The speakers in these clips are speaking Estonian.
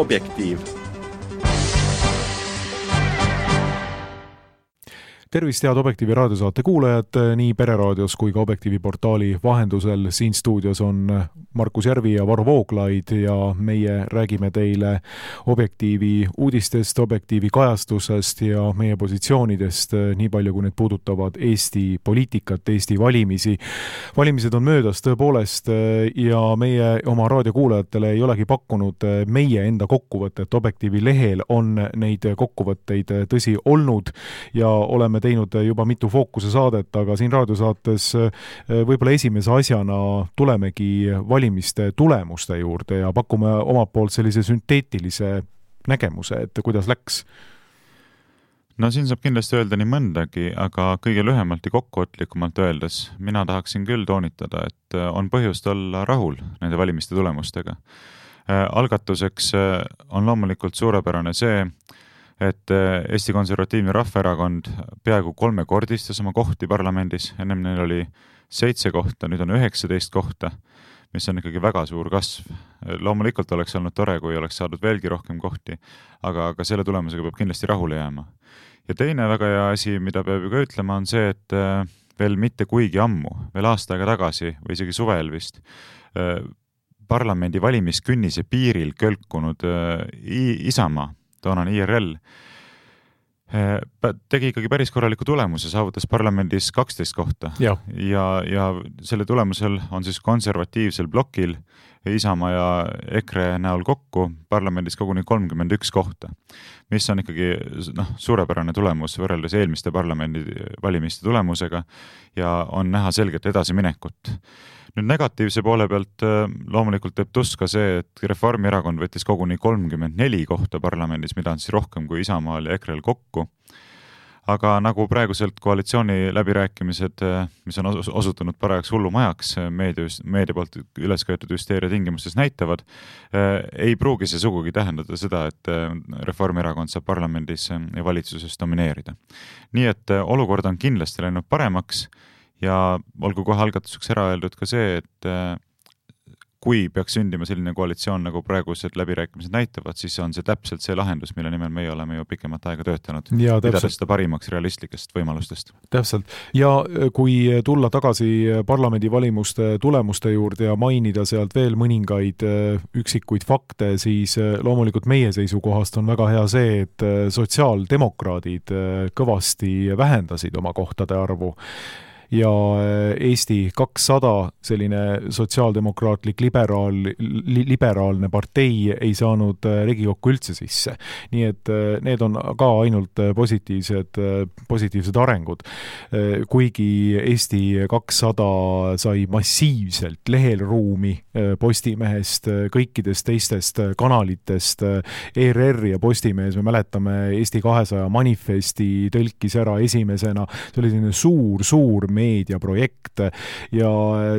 Objektiiv. Tervist, head Objektiivi raadiosaate kuulajad nii Pereraadios kui ka Objektiivi portaali vahendusel. Siin stuudios on Markus Järvi ja Varro Vooglaid ja meie räägime teile Objektiivi uudistest, Objektiivi kajastusest ja meie positsioonidest, nii palju kui need puudutavad Eesti poliitikat, Eesti valimisi. Valimised on möödas tõepoolest ja meie oma raadiokuulajatele ei olegi pakkunud meie enda kokkuvõtet. Objektiivi lehel on neid kokkuvõtteid tõsi olnud ja oleme teinud juba mitu fookuse saadet, aga siin raadiosaates võib-olla esimese asjana tulemegi valimiste tulemuste juurde ja pakume omalt poolt sellise sünteetilise nägemuse, et kuidas läks. No siin saab kindlasti öelda nii mõndagi, aga kõige lühemalt ja kokkuvõtlikumalt öeldes mina tahaksin küll toonitada, et on põhjust olla rahul nende valimiste tulemustega. Algatuseks on loomulikult suurepärane see, et Eesti Konservatiivne Rahvaerakond peaaegu 3-kordistas oma kohti parlamendis. Ennem neil oli 7 kohta, nüüd on 19 kohta, mis on ikkagi väga suur kasv. Loomulikult oleks olnud tore, kui oleks saadud veelgi rohkem kohti, aga selle tulemusega peab kindlasti rahule jääma. Ja teine väga hea asi, mida peab ju ka ütlema, on see, et veel mitte kuigi ammu, veel aasta aega tagasi või isegi suvel vist, parlamendi valimiskünnise piiril kölkunud Isamaa, toonane IRL, tegi ikkagi päris korraliku tulemuse, saavutas parlamendis 12 kohta. Ja selle tulemusel on siis konservatiivsel blokil Isamaa ja EKRE näol kokku parlamendis koguni 31 kohta, mis on ikkagi suurepärane tulemus võrreldes eelmiste parlamendi valimiste tulemusega ja on näha selgelt edasiminekut. Nüüd negatiivse poole pealt loomulikult teeb tuska see, et Reformierakond võttis koguni 34 kohta parlamendis, mida on siis rohkem kui Isamaal ja EKRE-l kokku. Aga nagu praeguselt koalitsiooni läbirääkimised, mis on osutunud parajaks hullumajaks meedia poolt üles köetud hüsteeria tingimustes näitavad, ei pruugi see sugugi tähendada seda, et Reformierakond saab parlamendis ja valitsuses domineerida. Nii et olukord on kindlasti läinud paremaks ja olgu kohe algatuseks ära öeldud ka see, et kui peaks sündima selline koalitsioon, nagu praegused läbirääkimised näitavad, siis on see täpselt see lahendus, mille nimel meie oleme ju pikemat aega töötanud. Pidades seda parimaks realistlikest võimalustest. Täpselt. Ja kui tulla tagasi parlamendivalimuste tulemuste juurde ja mainida sealt veel mõningaid üksikuid fakte, siis loomulikult meie seisukohast on väga hea see, et sotsiaaldemokraadid kõvasti vähendasid oma kohtade arvu. Ja Eesti 200, selline sotsiaaldemokraatlik liberaalne partei ei saanud Riigikokku üldse sisse. Nii et need on ka ainult positiivsed arengud. Kuigi Eesti 200 sai massiivselt lehelruumi Postimehest, kõikidest teistest kanalitest, ERR ja Postimees, me mäletame Eesti 200 manifesti tõlkis ära esimesena, see oli selline suur meediaprojekt ja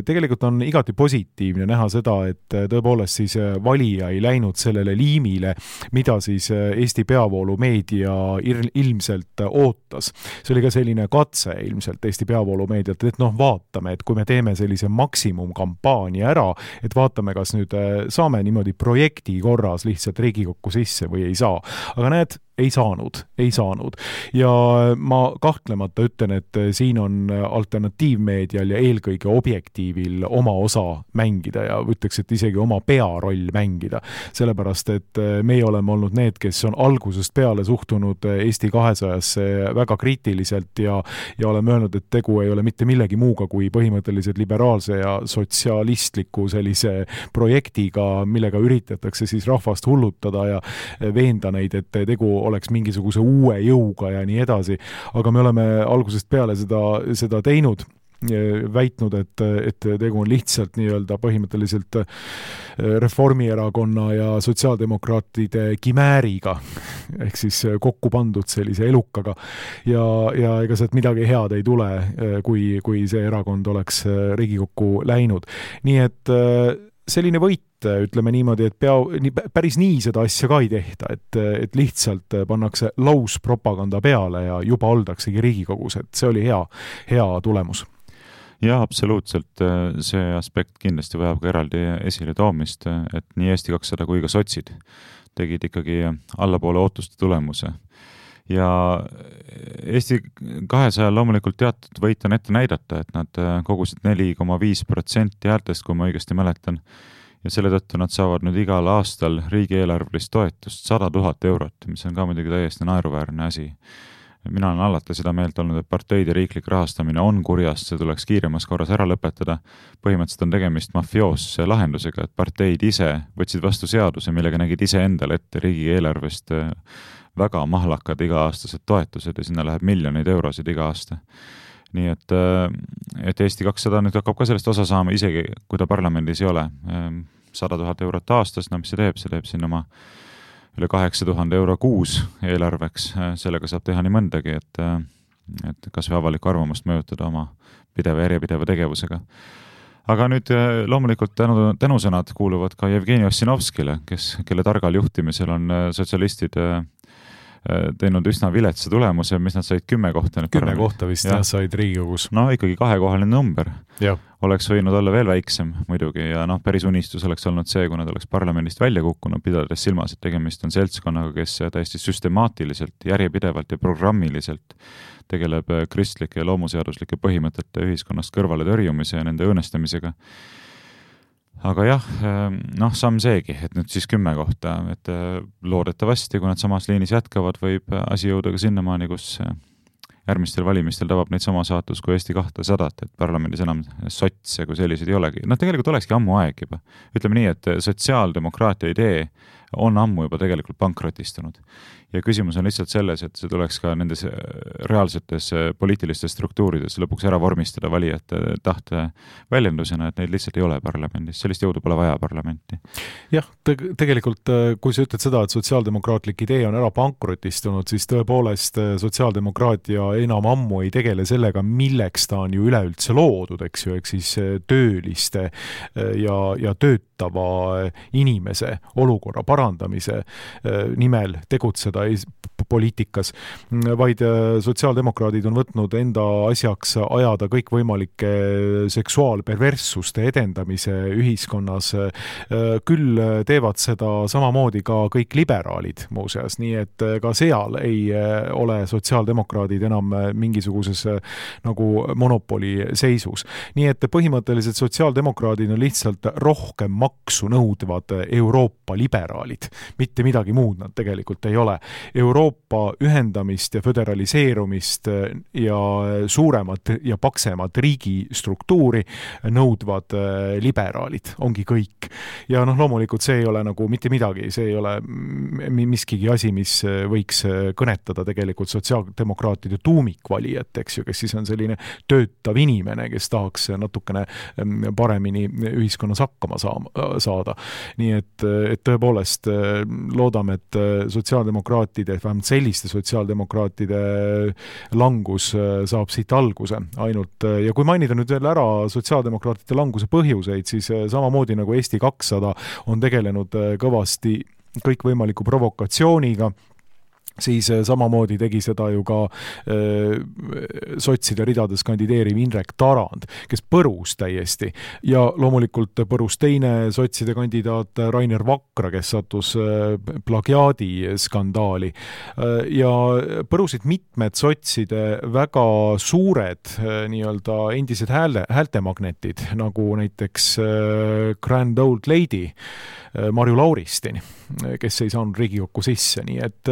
tegelikult on igati positiivne näha seda, et tõepoolest siis valija ei läinud sellele liimile, mida siis Eesti peavoolu meedia ilmselt ootas. See oli ka selline katse ilmselt Eesti peavoolu meedialt, et vaatame, et kui me teeme sellise maksimumkampaania ära, et vaatame, kas nüüd saame niimoodi projekti korras lihtsalt Riigikokku sisse või ei saa. Aga näed, ei saanud. Ja ma kahtlemata ütlen, et siin on alternatiivmeedial ja eelkõige Objektiivil oma osa mängida ja ütleks, et isegi oma pearoll mängida. Sellepärast, et meie oleme olnud need, kes on algusest peale suhtunud Eesti 200-sse väga kriitiliselt ja oleme öelnud, et tegu ei ole mitte millegi muuga kui põhimõtteliselt liberaalse ja sotsialistliku sellise projektiga, millega üritatakse siis rahvast hullutada ja veenda neid, et tegu oleks mingisuguse uue jõuga ja nii edasi. Aga me oleme algusest peale seda teinud, väitnud, et tegu on lihtsalt nii-öelda põhimõtteliselt Reformierakonna ja sotsiaaldemokraatide kimääriga, ehk siis kokku pandud sellise elukaga. Ja ega sealt midagi head ei tule, kui see erakond oleks Riigikokku läinud. Nii et selline võit, ütleme niimoodi, et päris nii seda asja ka ei tehta, et lihtsalt pannakse lauspropaganda peale ja juba oldaksegi Riigikogus, et see oli hea tulemus. Ja absoluutselt, see aspekt kindlasti vajab ka eraldi esile toomist, et nii Eesti 200 kui ka sotsid tegid ikkagi allapoole ootuste tulemuse. Ja Eesti 200 loomulikult teatud võit on ette näidata, et nad kogusid 4,5% häältest, kui ma õigesti mäletan, ja selle tõttu nad saavad nüüd igal aastal riigieelarvelist toetust 100 000 eurot, mis on ka muidugi täiesti naeruväärne asi. Mina olen alati seda meelt olnud, et parteide riiklik rahastamine on kurjast, see tuleks kiiremas korras ära lõpetada. Põhimõtteliselt on tegemist mafioosse lahendusega, et parteid ise võtsid vastu seaduse, millega nägid ise endale ette riigieelarvest väga mahlakad iga-aastased toetused ja sinna läheb miljoneid eurosid iga aasta. Nii et Eesti 200 nüüd hakkab ka sellest osa saama, isegi kui ta parlamendis ei ole. 100 000 eurot aastas, no mis see teeb siin oma üle 8000 euro kuus eelarveks, sellega saab teha nii mõndagi, et kas või avalikku arvamust mõjutada oma järjepideva tegevusega. Aga nüüd loomulikult tänusõnad kuuluvad ka Jevgeni Ossinovskile, kelle targal juhtimisel on sotsialistid teinud üsna viletsa tulemuse, mis nad said 10 kohta. 10 kohta vist said Riigikogus. No ikkagi 2-kohaline number. Ja. Oleks võinud olla veel väiksem muidugi ja päris unistus oleks olnud see, kui nad oleks parlamendist välja kukkunud, pidades silmas, et tegemist on seltskonnaga, kes täiesti süstemaatiliselt, järjepidevalt ja programmiliselt tegeleb kristlike ja loomuseaduslike põhimõtete ühiskonnast kõrvale tõrjumise ja nende õõnestamisega. Aga jah, samm seegi, et nüüd siis 10 kohta, et loodetavasti, kui nad samas liinis jätkavad, võib asi jõuda ka sinnamaani, kus järgmistel valimistel tabab neid sama saatus kui Eesti 200, et parlamendis enam sotse kui sellised ei olegi. Tegelikult olekski ammu aeg juba. Ütleme nii, et sotsiaaldemokraatia idee on ammu juba tegelikult pankrotistunud. Ja küsimus on lihtsalt selles, et see tuleks ka nendes reaalsetes poliitilistes struktuurides lõpuks ära vormistada valijate tahte väljendusena, et neid lihtsalt ei ole parlamendis. Sellist jõudu pole vaja parlamenti. Jah, tegelikult kui sa ütled seda, et sotsiaaldemokraatlik idee on ära pankrotistunud, siis tõepoolest sotsiaaldemokraatia enam ammu ei tegele sellega, milleks ta on ju üleüldse loodud, eks ju, ehk siis tööliste ja töötava inimese olukorra parandamise nimel tegutseda poliitikas, vaid sotsiaaldemokraadid on võtnud enda asjaks ajada kõikvõimalike seksuaalperverssuste edendamise ühiskonnas. Küll teevad seda samamoodi ka kõik liberaalid muuseas, nii et ka seal ei ole sotsiaaldemokraadid enam mingisuguses nagu monopoli seisus. Nii et põhimõtteliselt sotsiaaldemokraadid on lihtsalt rohkem maksu nõudvad Euroopa liberaalid. Mitte midagi muud nad tegelikult ei ole. Euroopa ühendamist ja föderaliseerumist ja suuremat ja paksemat riigistruktuuri nõudvad liberaalid, ongi kõik. Ja loomulikult see ei ole nagu mitte midagi, see ei ole miskigi asi, mis võiks kõnetada tegelikult sotsiaaldemokraatide tuumikvalijat, eks ju, kes siis on selline töötav inimene, kes tahaks natukene paremini ühiskonnas hakkama saada. Nii et tõepoolest loodame, et sotsiaaldemokraatide, vähemalt selliste sotsiaaldemokraatide langus saab siit alguse ainult. Ja kui mainida nüüd veel ära sotsiaaldemokraatide languse põhjuseid, siis samamoodi nagu Eesti 200 on tegelenud kõvasti kõikvõimaliku provokatsiooniga, siis samamoodi tegi seda ju ka sotside ridades kandideeriv Indrek Tarand, kes põrus täiesti. Ja loomulikult põrus teine sotside kandidaat Rainer Vakra, kes sattus plagiaadi skandaali. Ja põrusid mitmed sotside väga suured nii-öelda endised häältemagnetid, nagu näiteks Grand Old Lady Marju Lauristin, kes ei saanud Riigikokku sisse, nii et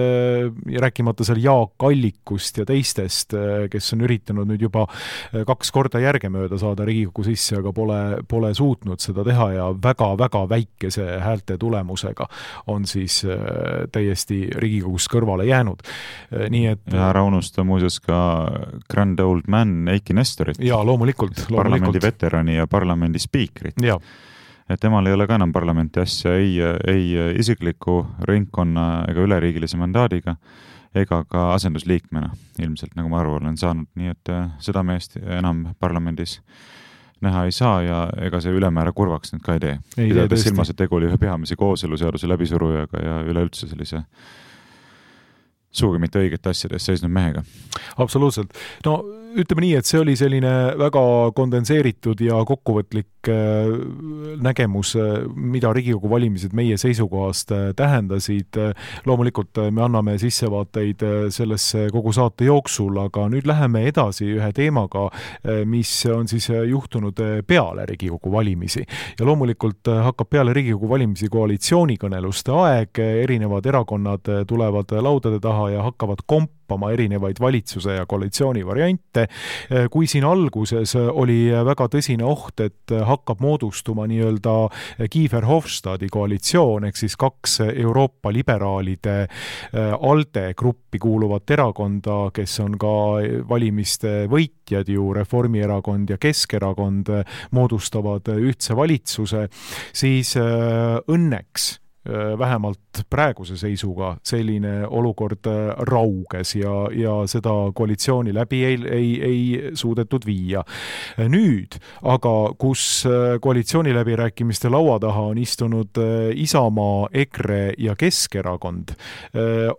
rääkimata seal Jaak Allikust ja teistest, kes on üritanud nüüd juba 2 korda järgemööda saada Riigikokku sisse, aga pole suutnud seda teha ja väga-väga väikese häälte tulemusega on siis täiesti Riigikogust kõrvale jäänud. Nii et ja ära unusta muuseas ka Grand Old Man Eiki Nestorit, ja loomulikult. Parlamendi veterani ja parlamendi spiikrit. Ja. Et temal ei ole ka enam parlamenti asja ei isikliku ringkonna ega üleriigilise mandaadiga ega ka asendusliikmena ilmselt, nagu ma aru olen saanud. Nii et seda meest enam parlamendis näha ei saa ja ega see ülemäära kurvaks nüüd ka ei tee. Pidades silmas, et tegu oli ühe peamise kooseluseaduse läbisurujaga ja üleüldse sellise suugi mitte õigete asjades seisnud mehega. Absoluutselt. No ütleme nii, et see oli selline väga kondenseeritud ja kokkuvõtlik nägemus, mida Riigikogu valimised meie seisukohast tähendasid. Loomulikult me anname sissevaateid sellesse kogu saate jooksul, aga nüüd läheme edasi ühe teemaga, mis on siis juhtunud peale Riigikogu valimisi. Ja loomulikult hakkab peale Riigikogu valimisi koalitsioonikõneluste aeg, erinevad erakonnad tulevad laudade taha ja hakkavad erinevaid valitsuse ja koalitsiooni variante. Kui siin alguses oli väga tõsine oht, et hakkab moodustuma nii-öelda Kiefer-Hofstadi koalitsioon, ehk siis 2 Euroopa liberaalide ALDE gruppi kuuluvat erakonda, kes on ka valimiste võitjad ju, Reformierakond ja Keskerakond moodustavad ühtse valitsuse, siis õnneks vähemalt praeguse seisuga selline olukord rauges ja seda koalitsiooni läbi ei suudetud viia. Nüüd, aga kus koalitsiooni läbirääkimiste laua taha on istunud Isamaa, EKRE ja Keskerakond,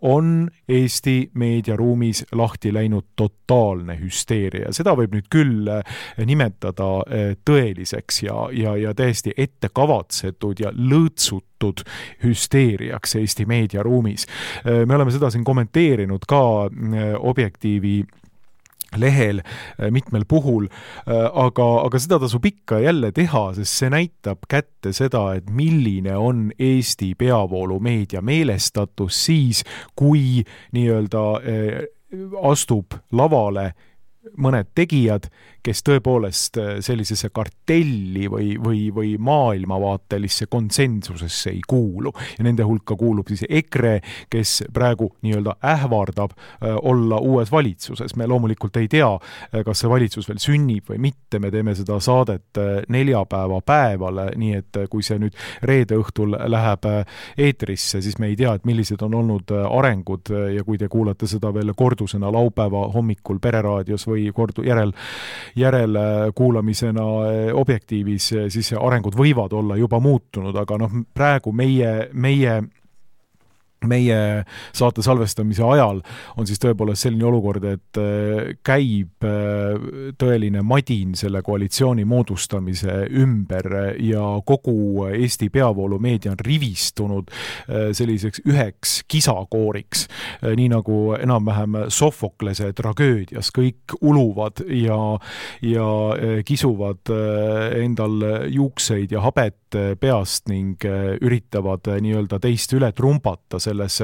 on Eesti meediaruumis lahti läinud totaalne hüsteeria. Seda võib nüüd küll nimetada tõeliseks ja täiesti ettekavatsetud ja lõõtsutud hüsteeriaks Eesti meediaruumis. Me oleme seda siin kommenteerinud ka Objektiivi lehel mitmel puhul, aga seda tasub ikka jälle teha, sest see näitab kätte seda, et milline on Eesti peavoolumeedia meelestatus siis, kui nii-öelda astub lavale mõned tegijad, kes tõepoolest sellisesse kartelli või maailmavaatelisse konsensusesse ei kuulu. Ja nende hulka kuulub siis EKRE, kes praegu nii-öelda ähvardab olla uues valitsuses. Me loomulikult ei tea, kas see valitsus veel sünnib või mitte. Me teeme seda saadet neljapäeva päeval, nii et kui see nüüd reede õhtul läheb eetrisse, siis me ei tea, et millised on olnud arengud ja kui te kuulate seda veel kordusena laupäeva hommikul Pereraadios või järelkuulamisena Objektiivis, siis arengud võivad olla juba muutunud, aga praegu meie saate salvestamise ajal on siis tõepoolest selline olukord, et käib tõeline madin selle koalitsiooni moodustamise ümber ja kogu Eesti peavoolumeedia on rivistunud selliseks üheks kisakooriks, nii nagu enam-vähem Sofoklese tragöödias. Kõik uluvad ja kisuvad endal juukseid ja habet peast ning üritavad nii-öelda teist üle trumbata selles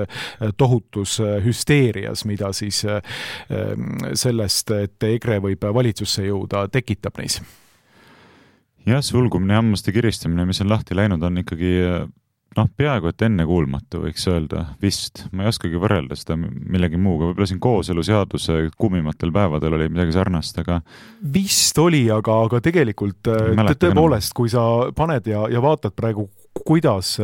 tohutus hüsteerias, mida siis sellest, et EKRE võib valitsusse jõuda, tekitab neis. Jah, sulgumine ja hammaste kiristamine, mis on lahti läinud, on ikkagi peaaegu et ennekuulmatu, võiks öelda, vist. Ma ei oskagi võrrelda seda millegi muuga. Võib-olla siin kooseluseaduse kuumimatel päevadel oli midagi sarnast, aga vist oli, aga tegelikult tõepoolest, kui sa paned ja vaatad praegu, kuidas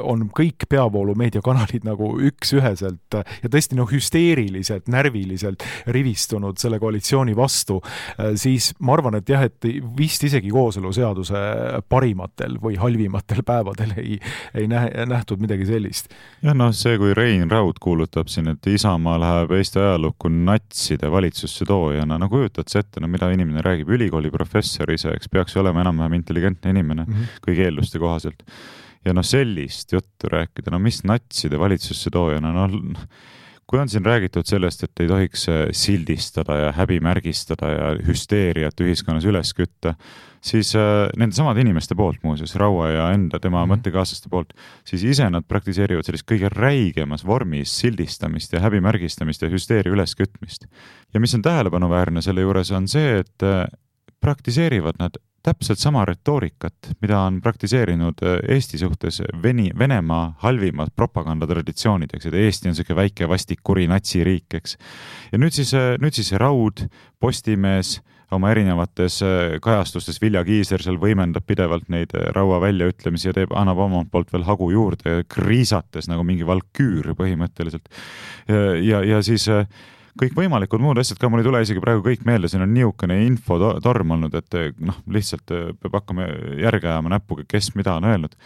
on kõik peavoolumeediakanalid nagu üksüheselt ja tõesti hüsteeriliselt, närviliselt rivistunud selle koalitsiooni vastu, siis ma arvan, et jah, et vist isegi kooseluseaduse parimatel või halvimatel päevadel ei nähtud midagi sellist. Ja see, kui Rein Raud kuulutab siin, et Isamaa läheb Eesti ajalukku natside valitsusse toojana, kujutad sa ette, mida inimene räägib, ülikooli professor ise, eks peaks olema enam-vähem intelligentne inimene kõigi eelduste kohaselt. Ja sellist juttu rääkida, mis natside valitsusse toojana, kui on siin räägitud sellest, et ei tohiks sildistada ja häbimärgistada ja hüsteeriat ühiskonnas üles kütta, siis nende samade inimeste poolt, muuseas, Raua ja enda tema mõttekaaslaste poolt, siis ise nad praktiseerivad sellist kõige räigemas vormis sildistamist ja häbimärgistamist ja hüsteeria üleskütmist. Ja mis on tähelepanuväärne selle juures on see, et praktiseerivad nad täpselt sama retoorikat, mida on praktiseerinud Eesti suhtes Venemaa halvimad propagandatraditsioonid, eks, et Eesti on selline väike vastik kuri natsiriik, eks. Ja nüüd siis Raud, Postimees oma erinevates kajastustes, Vilja Kiisler seal võimendab pidevalt neid Raua väljaütlemisi ja annab omalt poolt veel hagu juurde, kriisates nagu mingi valküür põhimõtteliselt. Ja siis kõik võimalikud muud asjad ka, mul ei tule isegi praegu kõik meelde, siin on niisugune infotorm olnud, et lihtsalt peab hakkama järge ajama näpuga, kes mida on öelnud.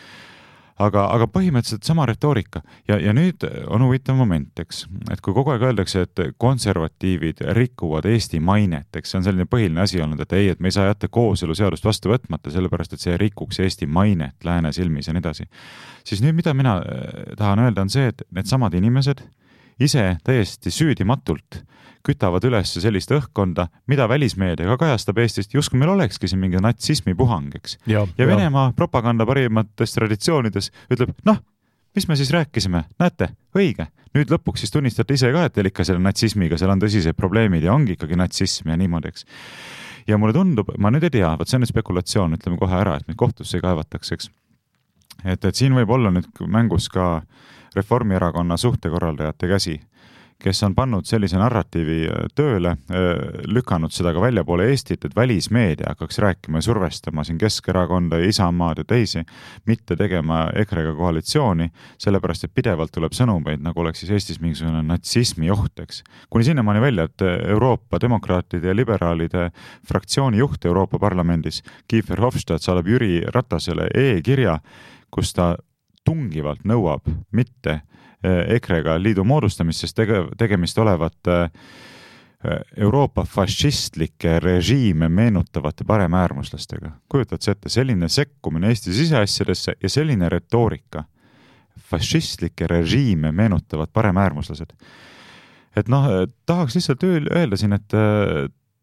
aga põhimõtteliselt sama retoorika ja nüüd on huvitav moment, eks, et kui kogu aeg öeldakse, et konservatiivid rikuvad Eesti mainet, eks see on selline põhiline asi olnud, et ei, et me ei saa jätta kooseluseadust vastu võtmata, sellepärast et see rikuks Eesti mainet lääne silmis ja nii edasi. Siis nüüd, mida mina tahan öelda, on see, et need samad inimesed ise täiesti süüdimatult kütavad üles sellist õhkkonda, mida välismeedia ka kajastab Eestist, justkui meil olekski siin mingi natsismi puhang, eks. Ja Venemaa propaganda parimates traditsioonides ütleb, noh, mis me siis rääkisime, näete, õige. Nüüd lõpuks siis tunnistate ise ka, et teil ikka selle natsismiga, seal on tõsised probleemid ja ongi ikkagi natsism ja niimoodi, eks. Ja mulle tundub, ma nüüd ei tea, võt see on nüüd spekulatsioon, ütleme kohe ära, et meid kohtusse ei kaevataks, eks. Et siin võib olla nüüd mängus ka Reformierakonna suhtekorraldajate käsi, kes on pannud sellise narratiivi tööle, lükanud seda ka väljapoole Eestit, et välismeedia hakkaks rääkima ja survestama siin Keskerakonda ja Isamaad ja teisi, mitte tegema EKRE-ga koalitsiooni, sellepärast, et pidevalt tuleb sõnumeid, nagu oleks siis Eestis mingisugune natsismi oht, eks. Kuni sinnamaani välja, et Euroopa demokraatide ja liberaalide fraktsiooni juht Euroopa Parlamendis, Kiefer Hofstad, saadab Jüri Ratasele e-kirja, kus ta tungivalt nõuab mitte EKRE-ga liidu moodustamist, sest tegemist olevat Euroopa fašistlikke režiime meenutavate paremäärmuslastega. Kujutad see ette, selline sekkumine Eesti siseasjadesse ja selline retoorika. Fašistlikke režiime meenutavad paremäärmuslased. Et noh, tahaks lihtsalt öelda siin, et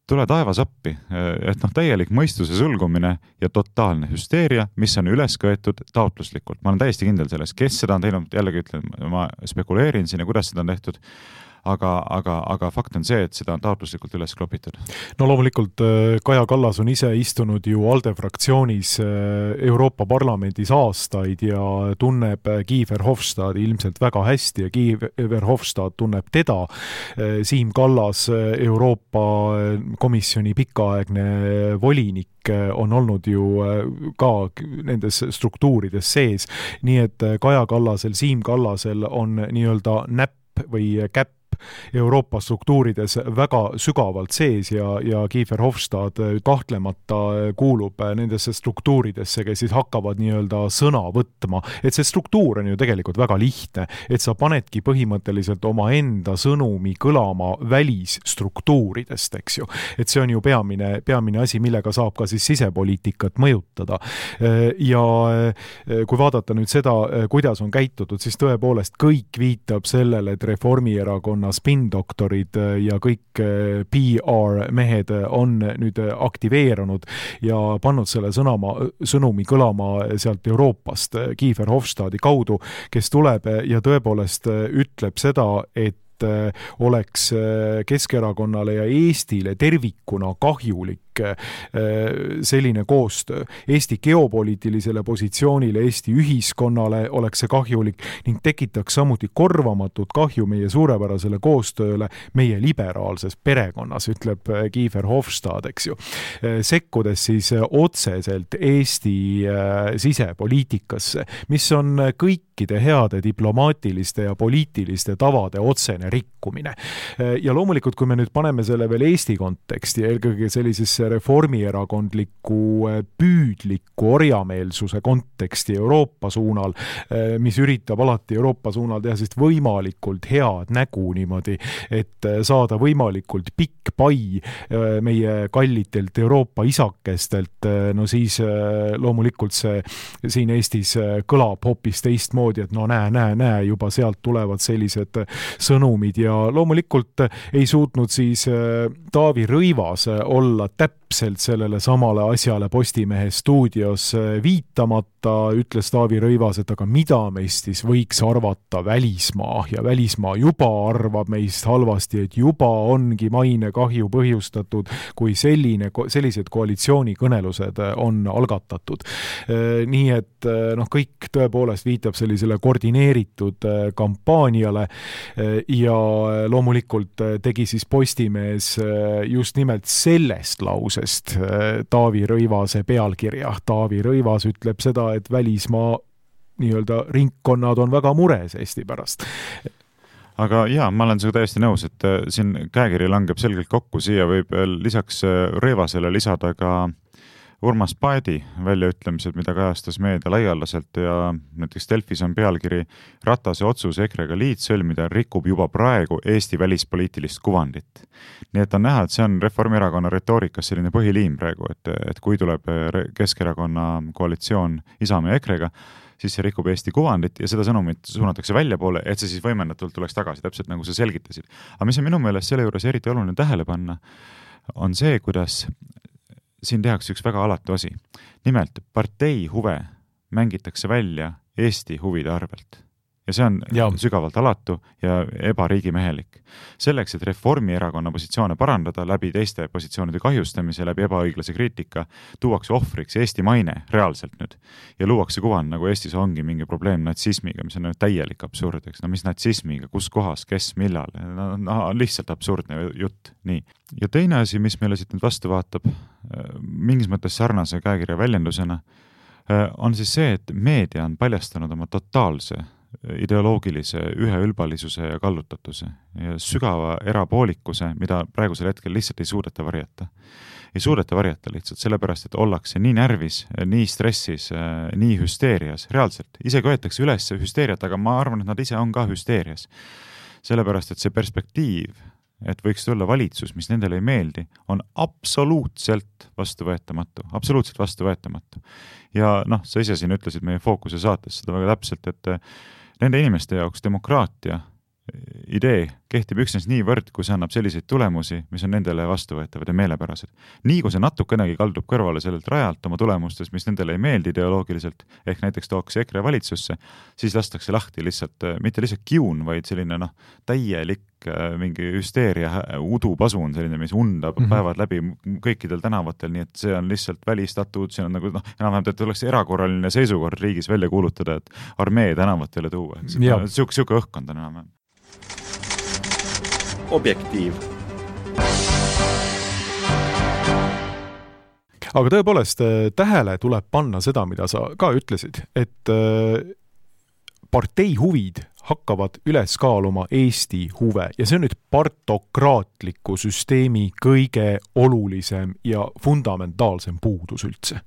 tule taevas appi, et noh, täielik mõistuse sulgumine ja totaalne hüsteeria, mis on üles köetud taotluslikult. Ma olen täiesti kindel selles, kes seda on teinud, jällegi ütlen, ma spekuleerin siin ja kuidas seda on tehtud, aga fakt on see, et seda on taotluslikult üles klopitud. No loomulikult Kaja Kallas on ise istunud ju ALDE fraktsioonis Euroopa Parlamendis aastaid ja tunneb Kiefer Hofstadi ilmselt väga hästi ja Kiefer Hofstad tunneb teda. Siim Kallas, Euroopa Komisjoni pikaaegne volinik, on olnud ju ka nendes struktuurides sees, nii et Kaja Kallasel, Siim Kallasel on nii-öelda näpp või käpp Euroopa struktuurides väga sügavalt sees ja Kiefer Hofstad kahtlemata kuulub nendesse struktuuridesse, kes siis hakkavad nii-öelda sõna võtma. Et see struktuur on ju tegelikult väga lihtne, et sa panedki põhimõtteliselt oma enda sõnumi kõlama välisstruktuuridest, eks ju. Et see on ju peamine asi, millega saab ka siis sisepoliitikat mõjutada. Ja kui vaadata nüüd seda, kuidas on käitutud, siis tõepoolest kõik viitab sellele, et Reformierakonna spin-doktorid ja kõik PR-mehed on nüüd aktiveerunud ja pannud selle sõnumi kõlama sealt Euroopast Kiefer Hofstadi kaudu, kes tuleb ja tõepoolest ütleb seda, et oleks Keskerakonnale ja Eestile tervikuna kahjulik selline koostöö. Eesti geopoliitilisele positsioonile, Eesti ühiskonnale oleks see kahjulik ning tekitaks samuti korvamatut kahju meie suurepärasele koostööle meie liberaalses perekonnas, ütleb Kiefer Hofstad, eks ju. Sekkudes siis otseselt Eesti sisepoliitikasse, mis on kõikide heade diplomaatiliste ja poliitiliste tavade otsene rikkumine. Ja loomulikult, kui me nüüd paneme selle veel Eesti konteksti, eelkõige sellisesse reformierakondliku püüdliku orjameelsuse konteksti Euroopa suunal, mis üritab alati Euroopa suunal teha siis võimalikult head nägu niimoodi, et saada võimalikult pikk pai meie kallitelt Euroopa isakestelt, no siis loomulikult see siin Eestis kõlab hoopis teistmoodi, et no näe, juba sealt tulevad sellised sõnumid ja loomulikult ei suutnud siis Taavi Rõivas olla täpselt sellele samale asjale Postimehe stuudios viitamata, ütles Taavi Rõivas, et aga mida meist siis võiks arvata välismaa ja välismaa juba arvab meist halvasti, et juba ongi maine kahju põhjustatud, kui sellised koalitsioonikõnelused on algatatud. Nii et kõik tõepoolest viitab sellisele koordineeritud kampaaniale ja loomulikult tegi siis Postimees just nimelt sellest lausest Taavi Rõivase pealkirja. Taavi Rõivas ütleb seda, et välismaa nii-öelda ringkonnad on väga mures Eesti pärast. Aga jaa, ma olen sinuga täiesti nõus, et siin käekiri langeb selgelt kokku, siia võib lisaks Rõivasele lisada ka Urmas Paeti väljaütlemised, mida kajastas meedia laialdaselt ja näiteks Delfis on pealkiri Ratase otsus EKRE-ga liit sõlmida rikub juba praegu Eesti välispoliitilist kuvandit. Nii et on näha, et see on Reformierakonna retoorikas selline põhiliim praegu, et kui tuleb Keskerakonna koalitsioon Isamaa ja EKRE-ga, siis see rikub Eesti kuvandit ja seda sõnumit suunatakse väljapoole, et see siis võimendatult tuleks tagasi, täpselt nagu sa selgitasid. Aga mis on minu meelest selle juures eriti oluline tähele panna, on see, kuidas siin tehakse üks väga alatu asi. Nimelt, partei huve mängitakse välja Eesti huvide arvelt. Ja see on sügavalt alatu ja ebariigimehelik. Selleks, et Reformierakonna positsioone parandada läbi teiste positsioonide kahjustamise, läbi ebaõiglase kriitika, tuuakse ohvriks Eesti maine reaalselt nüüd. Ja luuakse kuvand, nagu Eestis ongi mingi probleem natsismiga, mis on täielik absurd, eks. No mis natsismiga, kus kohas, kes, millal? No, lihtsalt absurdne jutt. Nii. Ja teine asi, mis meile siit nüüd vastu vaatab, mingis mõttes sarnase käekirja väljendusena, on siis see, et meedia on paljastanud oma totaalse ideoloogilise üheülbalisuse ja kallutatuse ja sügava erapoolikuse, mida praegusel hetkel lihtsalt ei suudeta varjata. Ei suudeta varjata lihtsalt sellepärast, et ollakse nii närvis, nii stressis, nii hüsteerias. Reaalselt, isegi võetakse üles hüsteeriat, aga ma arvan, et nad ise on ka hüsteerias. Sellepärast, et see perspektiiv, et võiks tulla valitsus, mis nendele ei meeldi, on absoluutselt vastuvõetamatu. Absoluutselt vastuvõetamatu. Ja sa ise siin ütlesid meie Fookuse saates seda väga täpselt, et nende inimeste jaoks demokraatia idee kehtib üksnes niivõrd, kui see annab selliseid tulemusi, mis on nendele vastuvõetavad ja meelepärased. Nii kui see natukenegi kaldub kõrvale sellelt rajalt oma tulemustes, mis nendele ei meeldi ideoloogiliselt, ehk näiteks tooks EKRE valitsusse, siis lastakse lahti lihtsalt, mitte lihtsalt kiun, vaid selline täielik mingi hüsteeria udupasun, selline, mis undab päevad läbi kõikidel tänavatel, nii et see on lihtsalt välistatud, see on nagu enam-vähem, et oleks erakorraline seisukord riigis välja kuulutada, et armee tänavatele tuua. Siuke õhkkond on enam-vähem. Objektiiv. Aga tõepoolest, tähele tuleb panna seda, mida sa ka ütlesid, et partei huvid hakkavad üles kaaluma Eesti huve ja see on nüüd partokraatliku süsteemi kõige olulisem ja fundamentaalsem puudus üldse.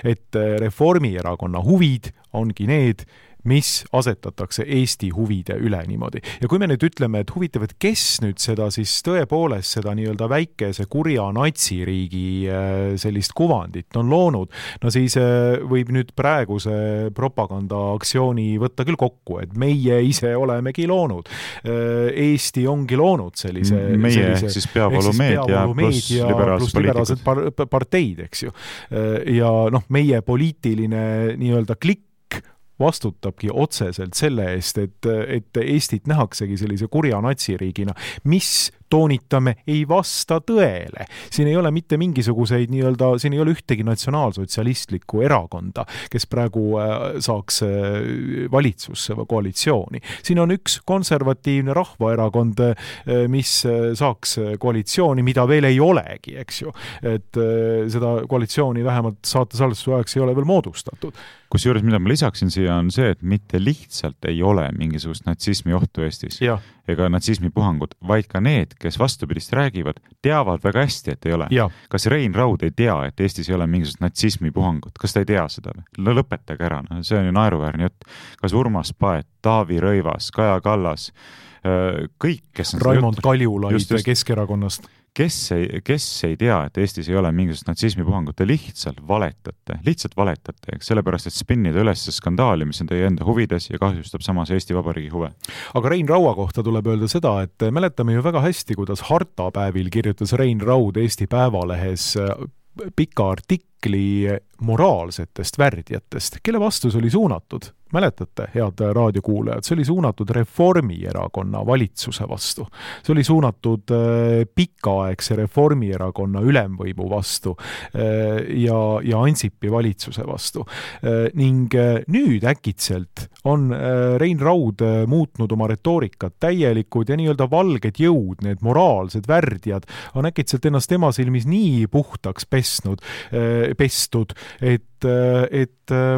Et Reformierakonna huvid ongi need, mis asetatakse Eesti huvide üle niimoodi. Ja kui me nüüd ütleme, et huvitav, et kes nüüd seda siis tõepoolest seda nii-öelda väikese kurja natsiriigi sellist kuvandit on loonud, no siis võib nüüd praeguse propagandaaktsiooni võtta küll kokku, et meie ise olemegi loonud. Eesti ongi loonud sellise... Meie siis peavoolumeedia pluss liberaalsed parteid, eks ju. Ja meie poliitiline nii-öelda klikk vastutabki otseselt selle eest, et Eestit nähaksegi sellise kurja natsiriigina, mis toonitame ei vasta tõele. Siin ei ole mitte mingisuguseid siin ei ole ühtegi natsionaalsotsialistlikku erakonda, kes praegu saaks valitsusse või koalitsiooni. Siin on üks konservatiivne rahvaerakond, mis saaks koalitsiooni, mida veel ei olegi, eks ju. Et seda koalitsiooni vähemalt saate salvestuse ajaks ei ole veel moodustatud. Kusjuures, mida ma lisaksin siia, on see, et mitte lihtsalt ei ole mingisugust natsismi ohtu Eestis ega natsismi puhangut, vaid ka need, kes vastupidist räägivad, teavad väga hästi, et ei ole. Kas Rein Raud ei tea, et Eestis ei ole mingisugust natsismi puhangut? Kas ta ei tea seda? Lõpetage ära, see on ju naeruväärne jutt. Kas Urmas Paet, Taavi Rõivas, Kaja Kallas, kõik, kes on Raimond Kaljulaid Keskerakonnast. Kes ei tea, et Eestis ei ole mingisugust natsismi puhangut, te lihtsalt valetate, sellepärast, et spinnida üles skandaali, mis on teie enda huvides ja kahjustab samas Eesti Vabariigi huve. Aga Rein Raua kohta tuleb öelda seda, et mäletame ju väga hästi, kuidas hartapäevil kirjutas Rein Raud Eesti Päevalehes pika artikli moraalsetest värdjatest, kelle vastus oli suunatud. Mäletate, head raadiokuulajad, see oli suunatud Reformierakonna valitsuse vastu. See oli suunatud pikaaegse Reformierakonna ülemvõimu vastu ja Ansipi valitsuse vastu. Ning nüüd äkitselt on Rein Raud muutnud oma retoorikat täielikud ja nii-öelda valged jõud, need moraalsed värdjad, on äkitselt ennast tema silmis nii puhtaks pesnud, pestud, et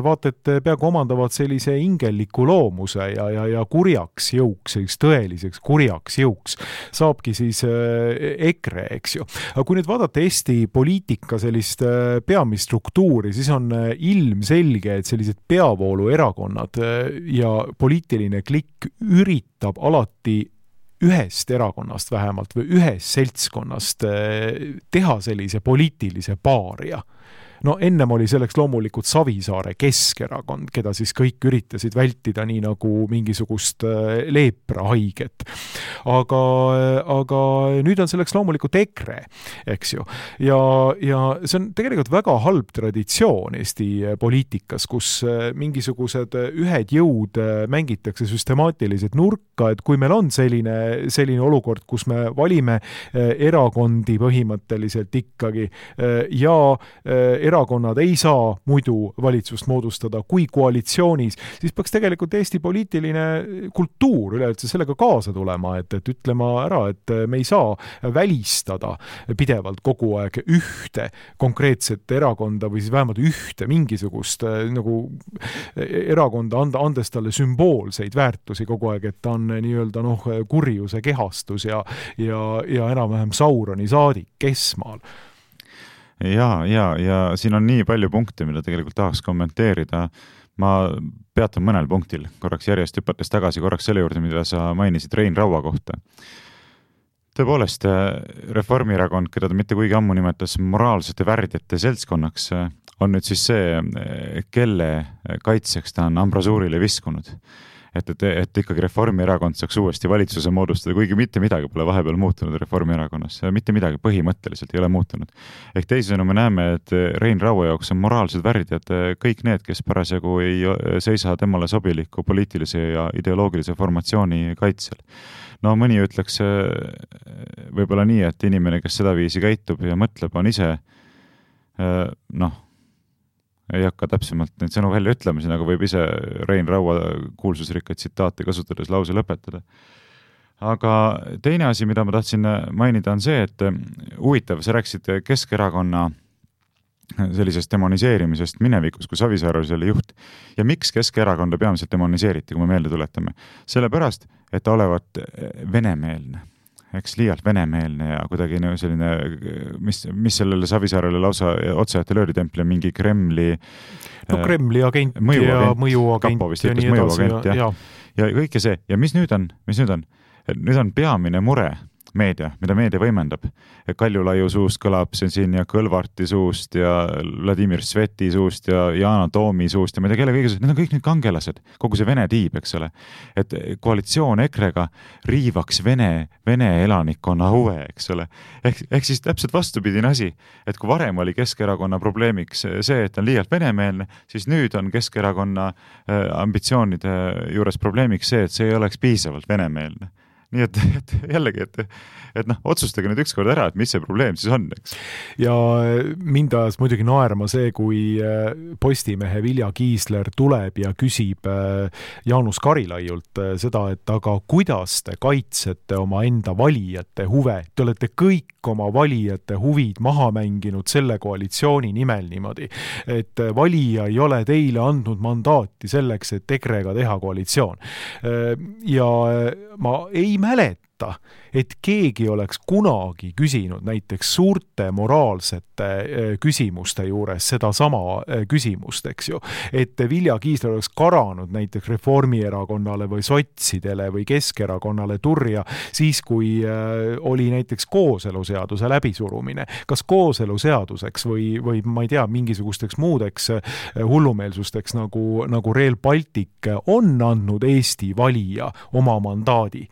vaata, et peaaegu omandavad sellise ingelliku loomuse ja kurjaks jõuks, tõeliseks kurjaks jõuks saabki siis EKRE, eks ju. Aga kui nüüd vaadata Eesti poliitika sellist peamist struktuuri, siis on ilmselge, et sellised peavooluerakonnad ja poliitiline klikk üritab alati ühest erakonnast vähemalt või ühest seltskonnast teha sellise poliitilise paaria. No ennem oli selleks loomulikult Savisaare Keskerakond, keda siis kõik üritasid vältida nii nagu mingisugust leeprahaiget. Aga nüüd on selleks loomulikult EKRE, eks ju. Ja see on tegelikult väga halb traditsioon Eesti poliitikas, kus mingisugused ühed jõud mängitakse süstemaatiliselt nurka, et kui meil on selline olukord, kus me valime erakondi põhimõtteliselt ikkagi ja erakonnad ei saa muidu valitsust moodustada kui koalitsioonis, siis peaks tegelikult Eesti poliitiline kultuur üleüldse sellega kaasa tulema, et ütlema ära, et me ei saa välistada pidevalt kogu aeg ühte konkreetset erakonda või siis vähemalt ühte mingisugust nagu erakonda andes talle sümboolseid väärtusi kogu aeg, et ta on nii-öelda kurjuse kehastus ja enam-vähem Sauroni saadik Kesmaal. Ja siin on nii palju punkte, mida tegelikult tahaks kommenteerida. Ma peatun mõnel punktil, korraks järjest hüpates tagasi korraks selle juurde, mida sa mainisid Rein Raua kohta. Tõepoolest, Reformierakond, keda ta mitte kuigi ammu nimetas moraalsete värdjate seltskonnaks, on nüüd siis see, kelle kaitseks ta on ambrasuurile viskunud. Et ikkagi Reformierakond saaks uuesti valitsuse moodustada, kuigi mitte midagi pole vahepeal muutunud Reformierakonnas. Mitte midagi põhimõtteliselt ei ole muutunud. Ehk teisisõnu me näeme, et Rein Raua jaoks on moraalsed värdjad kõik need, kes parasjagu ei seisa temale sobiliku poliitilise ja ideoloogilise formatsiooni kaitsel. No mõni ütleks võib-olla nii, et inimene, kes seda viisi käitub ja mõtleb, on ise ei hakka täpsemalt neid sõnu välja ütlemisena, aga võib ise Rein Raua kuulsusrikkaid tsitaate kasutades lause lõpetada. Aga teine asi, mida ma tahtsin mainida, on see, et huvitav, sa rääkisid Keskerakonna sellisest demoniseerimisest minevikus, kui Savisaar oli selle juht. Ja miks Keskerakonda peamiselt demoniseeriti, kui me meelde tuletame? Sellepärast, et ta olevat venemeelne. Eks liialt venemeelne ja kuidagi selline, mis sellele Savisaarele lausa otseajate lööritempli on mingi Kremli agent ja mõjuagent ja nii edasi. Ja kõike see. Ja mis nüüd on? Nüüd on peamine mure meedia, mida meedia võimendab. Kaljulaiu suust kõlab siin ja Kõlvarti suust ja Vladimir Sveti suust ja Yana Toomi suust ja ma ei tea kelle kõige suust. Need on kõik need kangelased, kogu see Vene tiib, eks ole. Et koalitsioon EKRE-ga riivaks Vene elanikkonna huve, eks ole. Ehk siis täpselt vastupidine asi, et kui varem oli Keskerakonna probleemiks see, et on liialt venemeelne, siis nüüd on Keskerakonna ambitsioonide juures probleemiks see, et see ei oleks piisavalt venemeelne. Nii et jällegi, et otsustage nüüd ükskord ära, et mis see probleem siis on, eks. Ja mind ajas muidugi naerma see, kui Postimehe Vilja Kiisler tuleb ja küsib Jaanus Karilaiult seda, et aga kuidas te kaitsete oma enda valijate huve? Te olete kõik oma valijate huvid maha mänginud selle koalitsiooni nimel niimoodi, et valija ei ole teile andnud mandaati selleks, et EKRE-ga teha koalitsioon. Ja ma ei mäleta, et keegi oleks kunagi küsinud näiteks suurte moraalsete küsimuste juures seda sama küsimust, eks ju. Et Vilja Kiisler oleks karanud näiteks Reformierakonnale või sotsidele või Keskerakonnale turja siis, kui oli näiteks kooseluseaduse läbisurumine. Kas kooseluseaduseks või ma ei tea, mingisugusteks muudeks hullumeelsusteks nagu Rail Baltic on andnud Eesti valija oma mandaadi?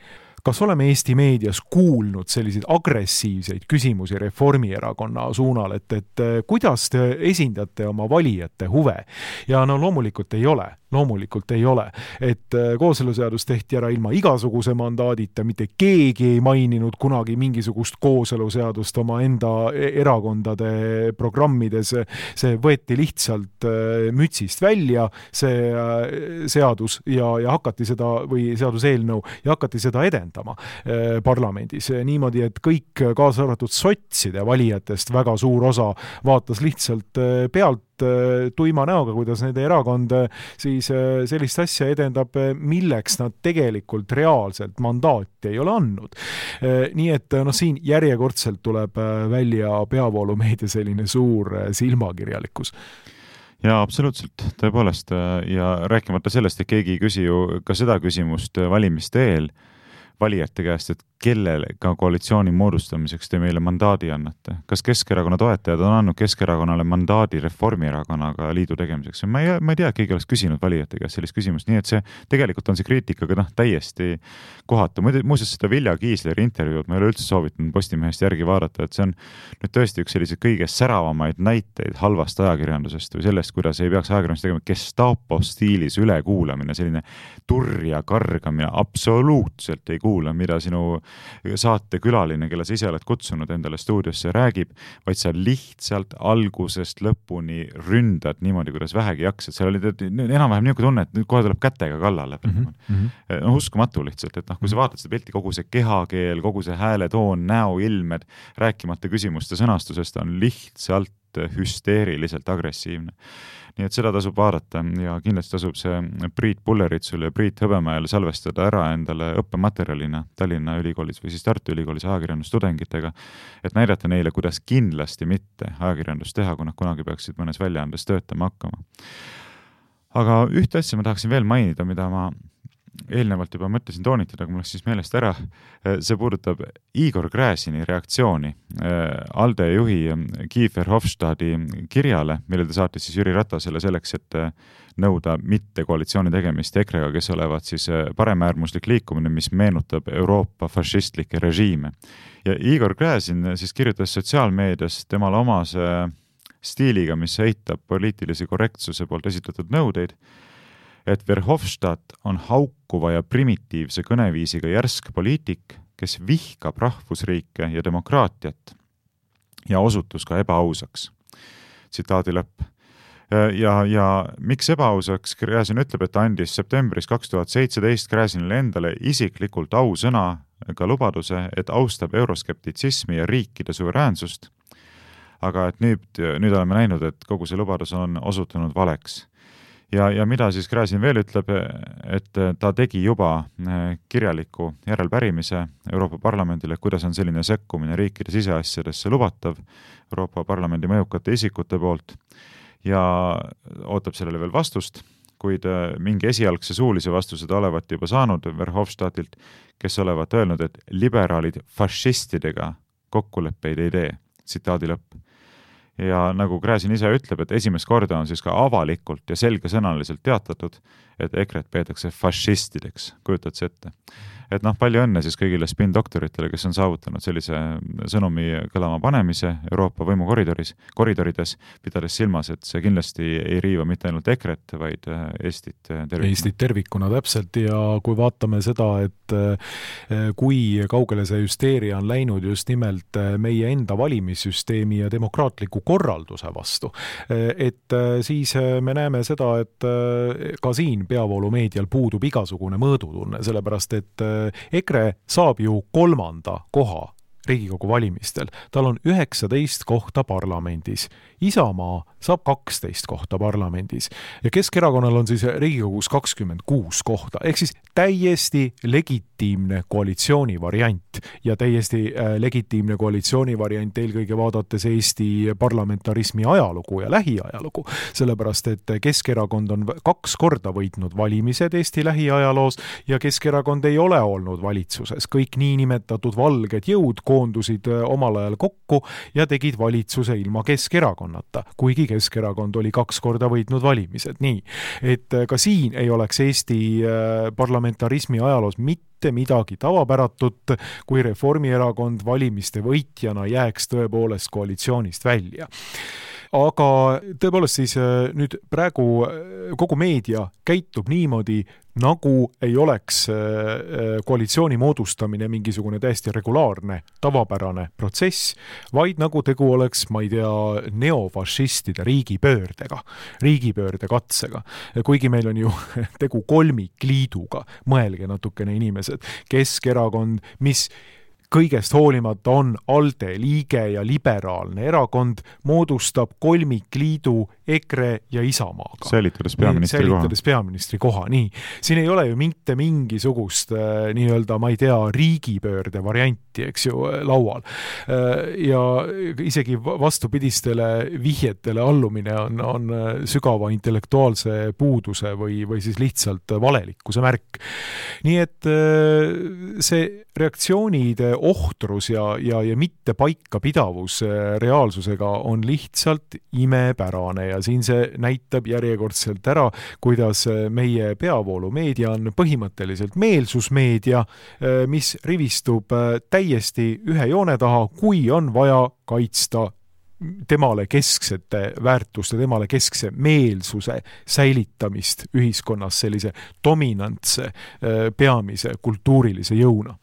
Kas oleme Eesti meedias kuulnud selliseid agressiivseid küsimusi Reformierakonna suunal, et kuidas te esindate oma valijate huve? Ja loomulikult ei ole. loomulikult ei ole. Et kooseluseadus tehti ära ilma igasuguse mandaadita, mitte keegi ei maininud kunagi mingisugust kooseluseadust oma enda erakondade programmides, see võeti lihtsalt mütsist välja, see seadus ja hakati seda, või seaduseelnõu, ja hakati seda edendama parlamendis. Niimoodi, et kõik kaasa arvatud sotside valijatest väga suur osa vaatas lihtsalt pealt tuima näoga, kuidas nende erakond siis sellist asja edendab, milleks nad tegelikult reaalselt mandaati ei ole andnud. Nii et siin järjekordselt tuleb välja peavoolumeedia selline suur silmakirjalikkus. Ja absoluutselt, tõepoolest, ja rääkimata sellest, et keegi ei küsi ju ka seda küsimust valimiste eel valijate käest, et kellega koalitsiooni moodustamiseks te meile mandaadi annate. Kas Keskerakonna toetajad on andnud Keskerakonnale mandaadi Reformierakonnaga liidu tegemiseks? Ma ei tea, keegi oleks küsinud valijate käest sellist küsimust, nii et see tegelikult on see kriitikaga täiesti kohatu. Muuseas seda Vilja Kiisleri intervjuud ma ei ole üldse soovitanud Postimehest järgi vaadata, et see on nüüd tõesti üks selliseid kõige säravamaid näiteid halvast ajakirjandusest või sellest, kuidas ei peaks ajakirjandust tegema Gestapo stiilis ülekuulamine, selline turja kargamine, absoluutselt ei kuula, mida sinu saate külaline, kelle sa ise oled kutsunud endale stuudiosse, räägib, vaid sa lihtsalt algusest lõpuni ründad niimoodi, kuidas vähegi jaksad. Seal oli enam-vähem niisugune tunne, et nüüd kohe tuleb kätega kallale. Uskumatu lihtsalt, et kui sa vaatad seda pilti, kogu see kehakeel, kogu see hääletoon, näoilmed, rääkimata küsimuste sõnastusest on lihtsalt hüsteeriliselt agressiivne. Nii et seda tasub vaadata ja kindlasti tasub see Priit Pulleritsul ja Priit Hõbemäel salvestada ära endale õppematerjalina Tallinna ülikoolis või siis Tartu ülikoolis ajakirjandustudengitega, et näidata neile, kuidas kindlasti mitte ajakirjandust teha, kui nad kunagi peaksid mõnes väljaandes töötama hakkama. Aga ühte asja ma tahaksin veel mainida, mida ma eelnevalt juba mõtlesin toonitada, kui mul läks siis meelest ära. See puudutab Igor Gräzini reaktsiooni ALDE juhi Kiefer Hofstadi kirjale, mille ta saatis siis Jüri Ratasele selleks, et nõuda mitte koalitsiooni tegemist EKRE-ga, kes olevat siis paremäärmuslik liikumine, mis meenutab Euroopa fašistlikke režiime. Ja Igor Gräzin siis kirjutas sotsiaalmeedias temale omase stiiliga, mis eitab poliitilise korrektsuse poolt esitatud nõudeid, et Verhofstadt on haukuva ja primitiivse kõneviisiga järsk poliitik, kes vihkab rahvusriike ja demokraatiat ja osutus ka ebaausaks. Tsitaadi lõpp. Ja miks ebaausaks? Gräzin ütleb, et ta andis septembris 2017 Gräzinile endale isiklikult ausõnaga lubaduse, et austab euroskeptitsismi ja riikide suveräänsust, aga et nüüd oleme näinud, et kogu see lubadus on osutunud valeks. Ja mida siis Gräzin veel ütleb, et ta tegi juba kirjaliku järelpärimise Euroopa Parlamendile, kuidas on selline sekkumine riikide siseasjadesse lubatav Euroopa Parlamendi mõjukate isikute poolt ja ootab sellele veel vastust, kuid mingi esialgse suulise vastuse ta olevat juba saanud Verhofstadtilt, kes olevat öelnud, et liberaalid fašistidega kokkuleppeid ei tee. Tsitaadi lõpp. Ja nagu Gräzin ise ütleb, et esimest korda on siis ka avalikult ja selgesõnaliselt teatatud, et EKRE-t peetakse fašistideks, kujutad see ette. Et palju õnne siis kõigile spin-doktoritele, kes on saavutanud sellise sõnumi kõlama panemise Euroopa võimukoridoris, koridorides, pidades silmas, et see kindlasti ei riiva mitte ainult EKRE-t, vaid Eestit tervikuna. Eestit tervikuna täpselt ja kui vaatame seda, et kui kaugele see hüsteeria on läinud just nimelt meie enda valimissüsteemi ja demokraatliku korralduse vastu, et siis me näeme seda, et ka siin peavoolumeedial puudub igasugune mõõdutunne, sellepärast et EKRE saab ju 3. koha Riigikogu valimistel. Tal on 19 kohta parlamendis. Isamaa saab 12 kohta parlamendis. Ja Keskerakonnal on siis Riigikogus 26 kohta. Ehk siis täiesti legitiimne koalitsiooni variant. Ja täiesti legitiimne koalitsiooni variant eelkõige vaadates Eesti parlamentarismi ajalugu ja lähiajalugu. Sellepärast, et Keskerakond on 2 korda võitnud valimised Eesti lähiajaloos ja Keskerakond ei ole olnud valitsuses. Kõik niinimetatud valged jõud koondusid omal ajal kokku ja tegid valitsuse ilma Keskerakonnata, kuigi Keskerakond oli 2 korda võitnud valimised. Nii, et ka siin ei oleks Eesti parlamentarismi ajaloos mitte midagi tavapäratut, kui Reformierakond valimiste võitjana jääks tõepoolest koalitsioonist välja. Aga tõepoolest siis nüüd praegu kogu meedia käitub niimoodi, nagu ei oleks koalitsiooni moodustamine mingisugune täiesti regulaarne, tavapärane protsess, vaid nagu tegu oleks, ma ei tea, neofašistide riigipöörde katsega. Kuigi meil on ju tegu kolmikliiduga, mõelge natukene inimesed, Keskerakond, mis kõigest hoolimata on ALDE liige ja liberaalne erakond, moodustab kolmikliidu EKRE ja Isamaaga. Säilitades peaministri koha. Nii. Siin ei ole ju mitte mingisugust nii-öelda, ma ei tea, riigipöörde varianti, eks ju, laual. Ja isegi vastupidistele vihjetele allumine on sügava intellektuaalse puuduse või siis lihtsalt valelikkuse märk. Nii et see reaktsioonide ohtrus ja mitte paikapidavus reaalsusega on lihtsalt imepärane ja siin see näitab järjekordselt ära, kuidas meie peavoolumeedia on põhimõtteliselt meelsusmeedia, mis rivistub täiesti ühe joone taha, kui on vaja kaitsta temale kesksete väärtuste, temale keskse meelsuse säilitamist ühiskonnas sellise dominantse peamise kultuurilise jõuna.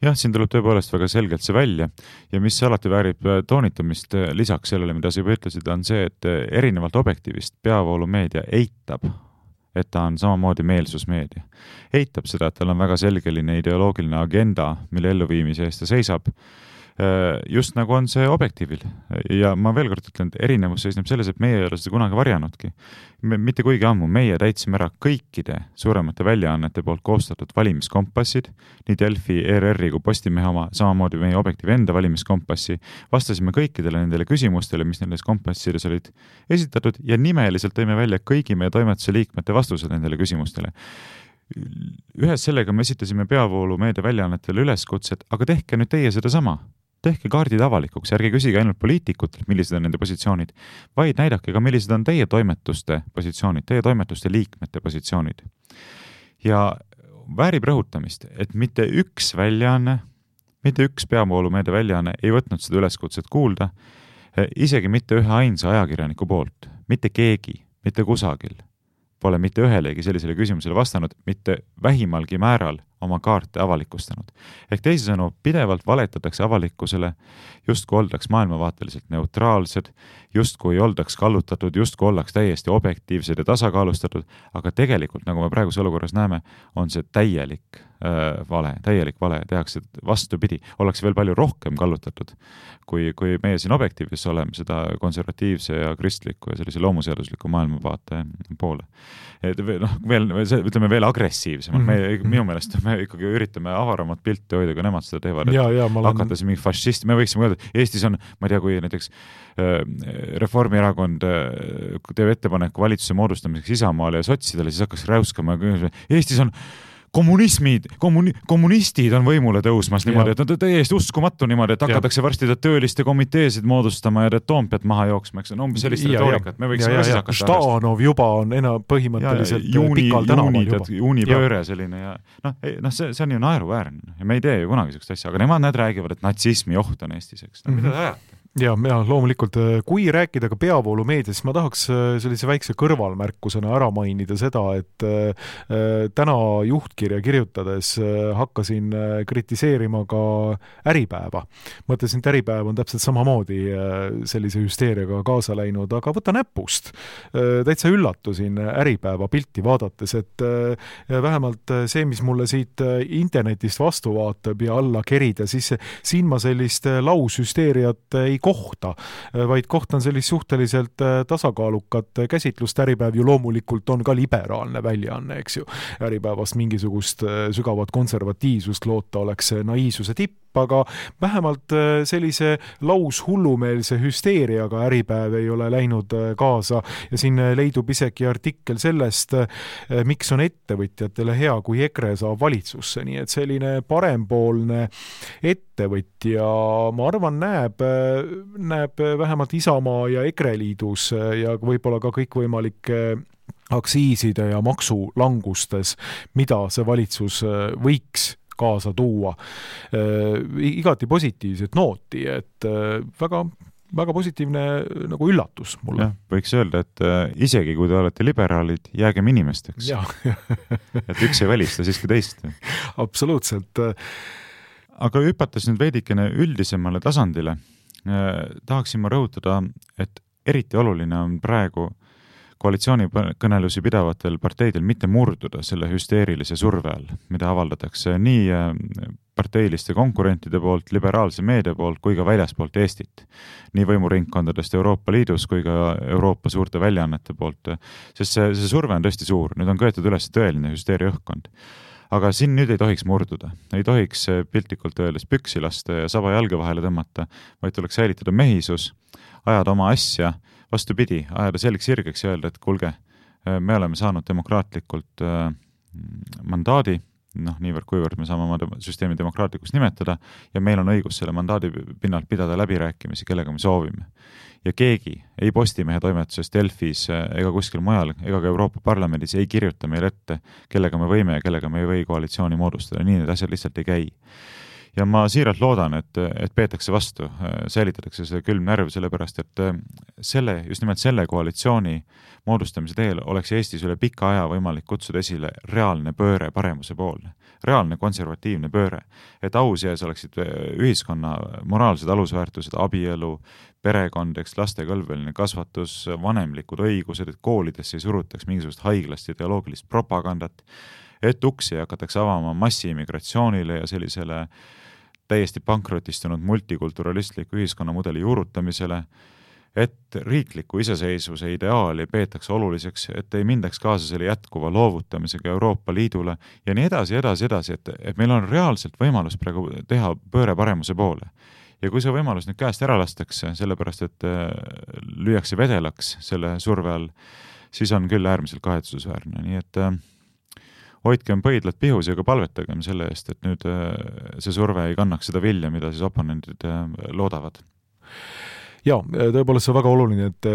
Jah, siin tuleb tõepoolest väga selgelt see välja ja mis alati väärib toonitamist lisaks sellele, mida sa juba ütlesid, on see, et erinevalt objektiivist peavoolumeedia eitab, et ta on samamoodi meelsusmeedia. Eitab seda, et tal on väga selgeline ideoloogiline agenda, mille elluviimise eest ta seisab, just nagu on see objektiivil. Ja ma veel kord ütlen, et erinevus seisneb selles, et meie ei ole seda kunagi varjanudki. Mitte kuigi ammu meie täitsime ära kõikide suuremate väljaannete poolt koostatud valimiskompassid, nii Delfi, ERR-i kui Postimehe oma, samamoodi meie objektiivi enda valimiskompassi, vastasime kõikidele nendele küsimustele, mis nendes kompassides olid esitatud ja nimeliselt tõime välja kõigi meie toimetuse liikmete vastused nendele küsimustele. Ühes sellega me esitasime peavoolu meedia väljaannetele üleskutset, aga tehke nüüd teie seda sama. Tehke kaardid avalikuks, ärge küsige ainult poliitikutelt, millised on nende positsioonid, vaid näidake ka, millised on teie toimetuste positsioonid, teie toimetuste liikmete positsioonid. Ja väärib rõhutamist, et mitte üks väljaanne, mitte üks peavoolumeedia väljaanne ei võtnud seda üleskutset kuulda, isegi mitte ühe ainsa ajakirjaniku poolt, mitte keegi, mitte kusagil pole mitte ühelegi sellisele küsimusele vastanud, mitte vähimalgi määral oma kaarte avalikustanud. Ehk teisisõnu, pidevalt valetatakse avalikkusele, justkui oldaks maailmavaateliselt neutraalsed, justkui oldaks kallutatud, justkui oldaks täiesti objektiivsed ja tasakaalustatud, aga tegelikult, nagu me praeguse olukorras näeme, on see täielik vale, tehakse vastupidi, ollakse veel palju rohkem kallutatud, kui meie siin objektiivis oleme seda konservatiivse ja kristliku ja sellise loomuseadusliku maailmavaate poole. Ütleme veel agressiivsemalt, minu meelest me ikkagi üritame avaramat pilti hoida, kui nemad seda teevad, hakates mingi fašist, me võiksime öelda, Eestis on, ma ei tea, kui näiteks Reformierakond teeb ettepaneku valitsuse moodustamiseks Isamaale ja sotsidele, siis hakkas räuskama, Eestis on kommunistid on võimule tõusmas niimoodi, et on täiesti uskumatu niimoodi, et hakatakse varsti tööliste komiteesid moodustama ja Toompead maha jooksma, eks on umbes sellist retoorikat. Me võiksime siis hakata Štanov juba on põhimõtteliselt pikal tänaval juba. Juunipööre selline ja see on ju naeruväärne ja me ei tee ju kunagi sellist asja, aga nemad räägivad, et natsismi oht on Eestis, eks. Mida te ajate? Ja loomulikult, kui rääkida ka peavoolumeedias, ma tahaks sellise väikse kõrvalmärkusena ära mainida seda, et täna juhtkirja kirjutades hakkasin kritiseerima ka Äripäeva. Mõtlesin, et Äripäev on täpselt samamoodi sellise hüsteeriaga kaasa läinud, aga võta näpust. Täitsa üllatusin Äripäeva pilti vaadates, et vähemalt see, mis mulle siit internetist vastu vaatab ja alla kerida, siis siin ma sellist laushüsteeriat ei kohta, vaid kohtan sellist suhteliselt tasakaalukat käsitlust. Äripäev ju loomulikult on ka liberaalne väljaanne, eks ju. Äripäevast mingisugust sügavat konservatiivsust loota oleks naiivsuse tipp, aga vähemalt sellise laushullumeelse hüsteeriaga Äripäev ei ole läinud kaasa ja siin leidub isegi artikkel sellest, miks on ettevõtjatele hea, kui EKRE saab valitsusse, nii et selline parempoolne ettevõtja, ma arvan, näeb vähemalt Isamaa ja EKRE liidus ja võib-olla ka kõikvõimalike aktsiiside ja maksulangustes, mida see valitsus võiks kaasa tuua igati positiivset nooti, et väga väga positiivne nagu üllatus mulle. Võiks öelda, et isegi kui te olete liberaalid, jäägem inimesteks. Et üks ei välista siiski teist. Absoluutselt. Aga hüpates nüüd veidikene üldisemale tasandile, tahaksin ma rõhutada, et eriti oluline on praegu koalitsioonikõnelusi pidavatel parteidel mitte murduda selle hüsteerilise surve all, mida avaldatakse nii parteiliste konkurentide poolt, liberaalse meedia poolt kui ka väljaspoolt Eestit. Nii võimuringkondadest Euroopa Liidus kui ka Euroopa suurte väljaannete poolt, sest see surve on tõesti suur. Nüüd on köetud üles tõeline hüsteeria õhkkond. Aga siin nüüd ei tohiks murduda. Ei tohiks piltlikult öeldes püksi lasta ja saba jalga vahele tõmmata, vaid tuleks säilitada mehisus, ajada oma asja, vastupidi, ajada selgeks sirgeks ja öelda, et kuulge, me oleme saanud demokraatlikult mandaadi, niivõrd kuivõrd me saame oma süsteemi demokraatlikuks nimetada ja meil on õigus selle mandaadi pinnalt pidada läbirääkimisi, kellega me soovime. Ja keegi ei Postimehe toimetuses, Delfis ega kuskil mujal ega ka Euroopa Parlamendis ei kirjuta meil ette, kellega me võime ja kellega me ei või koalitsiooni moodustada. Nii need asjad lihtsalt ei käi. Ja ma siiralt loodan, et peetakse vastu, säilitatakse see külm närv, sellepärast, et just nimelt selle koalitsiooni moodustamise teel oleks Eestis üle pika aja võimalik kutsuda esile reaalne pööre paremuse poole, reaalne konservatiivne pööre, et au sees oleksid ühiskonna moraalsed alusväärtused, abielu, perekond, laste kõlbeline kasvatus, vanemlikud õigused, et koolidesse ei surutaks mingisugust haiglast ideoloogilist propagandat, et uksi hakatakse avama massiimmigratsioonile ja sellisele täiesti pankrotistunud multikulturalistliku ühiskonnamudeli juurutamisele, et riikliku iseseisvuse ideaali peetakse oluliseks, et ei mindaks kaasa selle jätkuva loovutamisega Euroopa Liidule ja nii edasi, et meil on reaalselt võimalus praegu teha pööre paremuse poole. Ja kui see võimalus nüüd käest ära lastakse, sellepärast et lüüakse vedelaks selle surve all, siis on küll äärmiselt kahetsusväärne. Nii et hoidkem põidlad pihus ja ka palvetagem selle eest, et nüüd see surve ei kannaks seda vilja, mida siis oponendid loodavad. Ja, tõepoolest see on väga oluline, et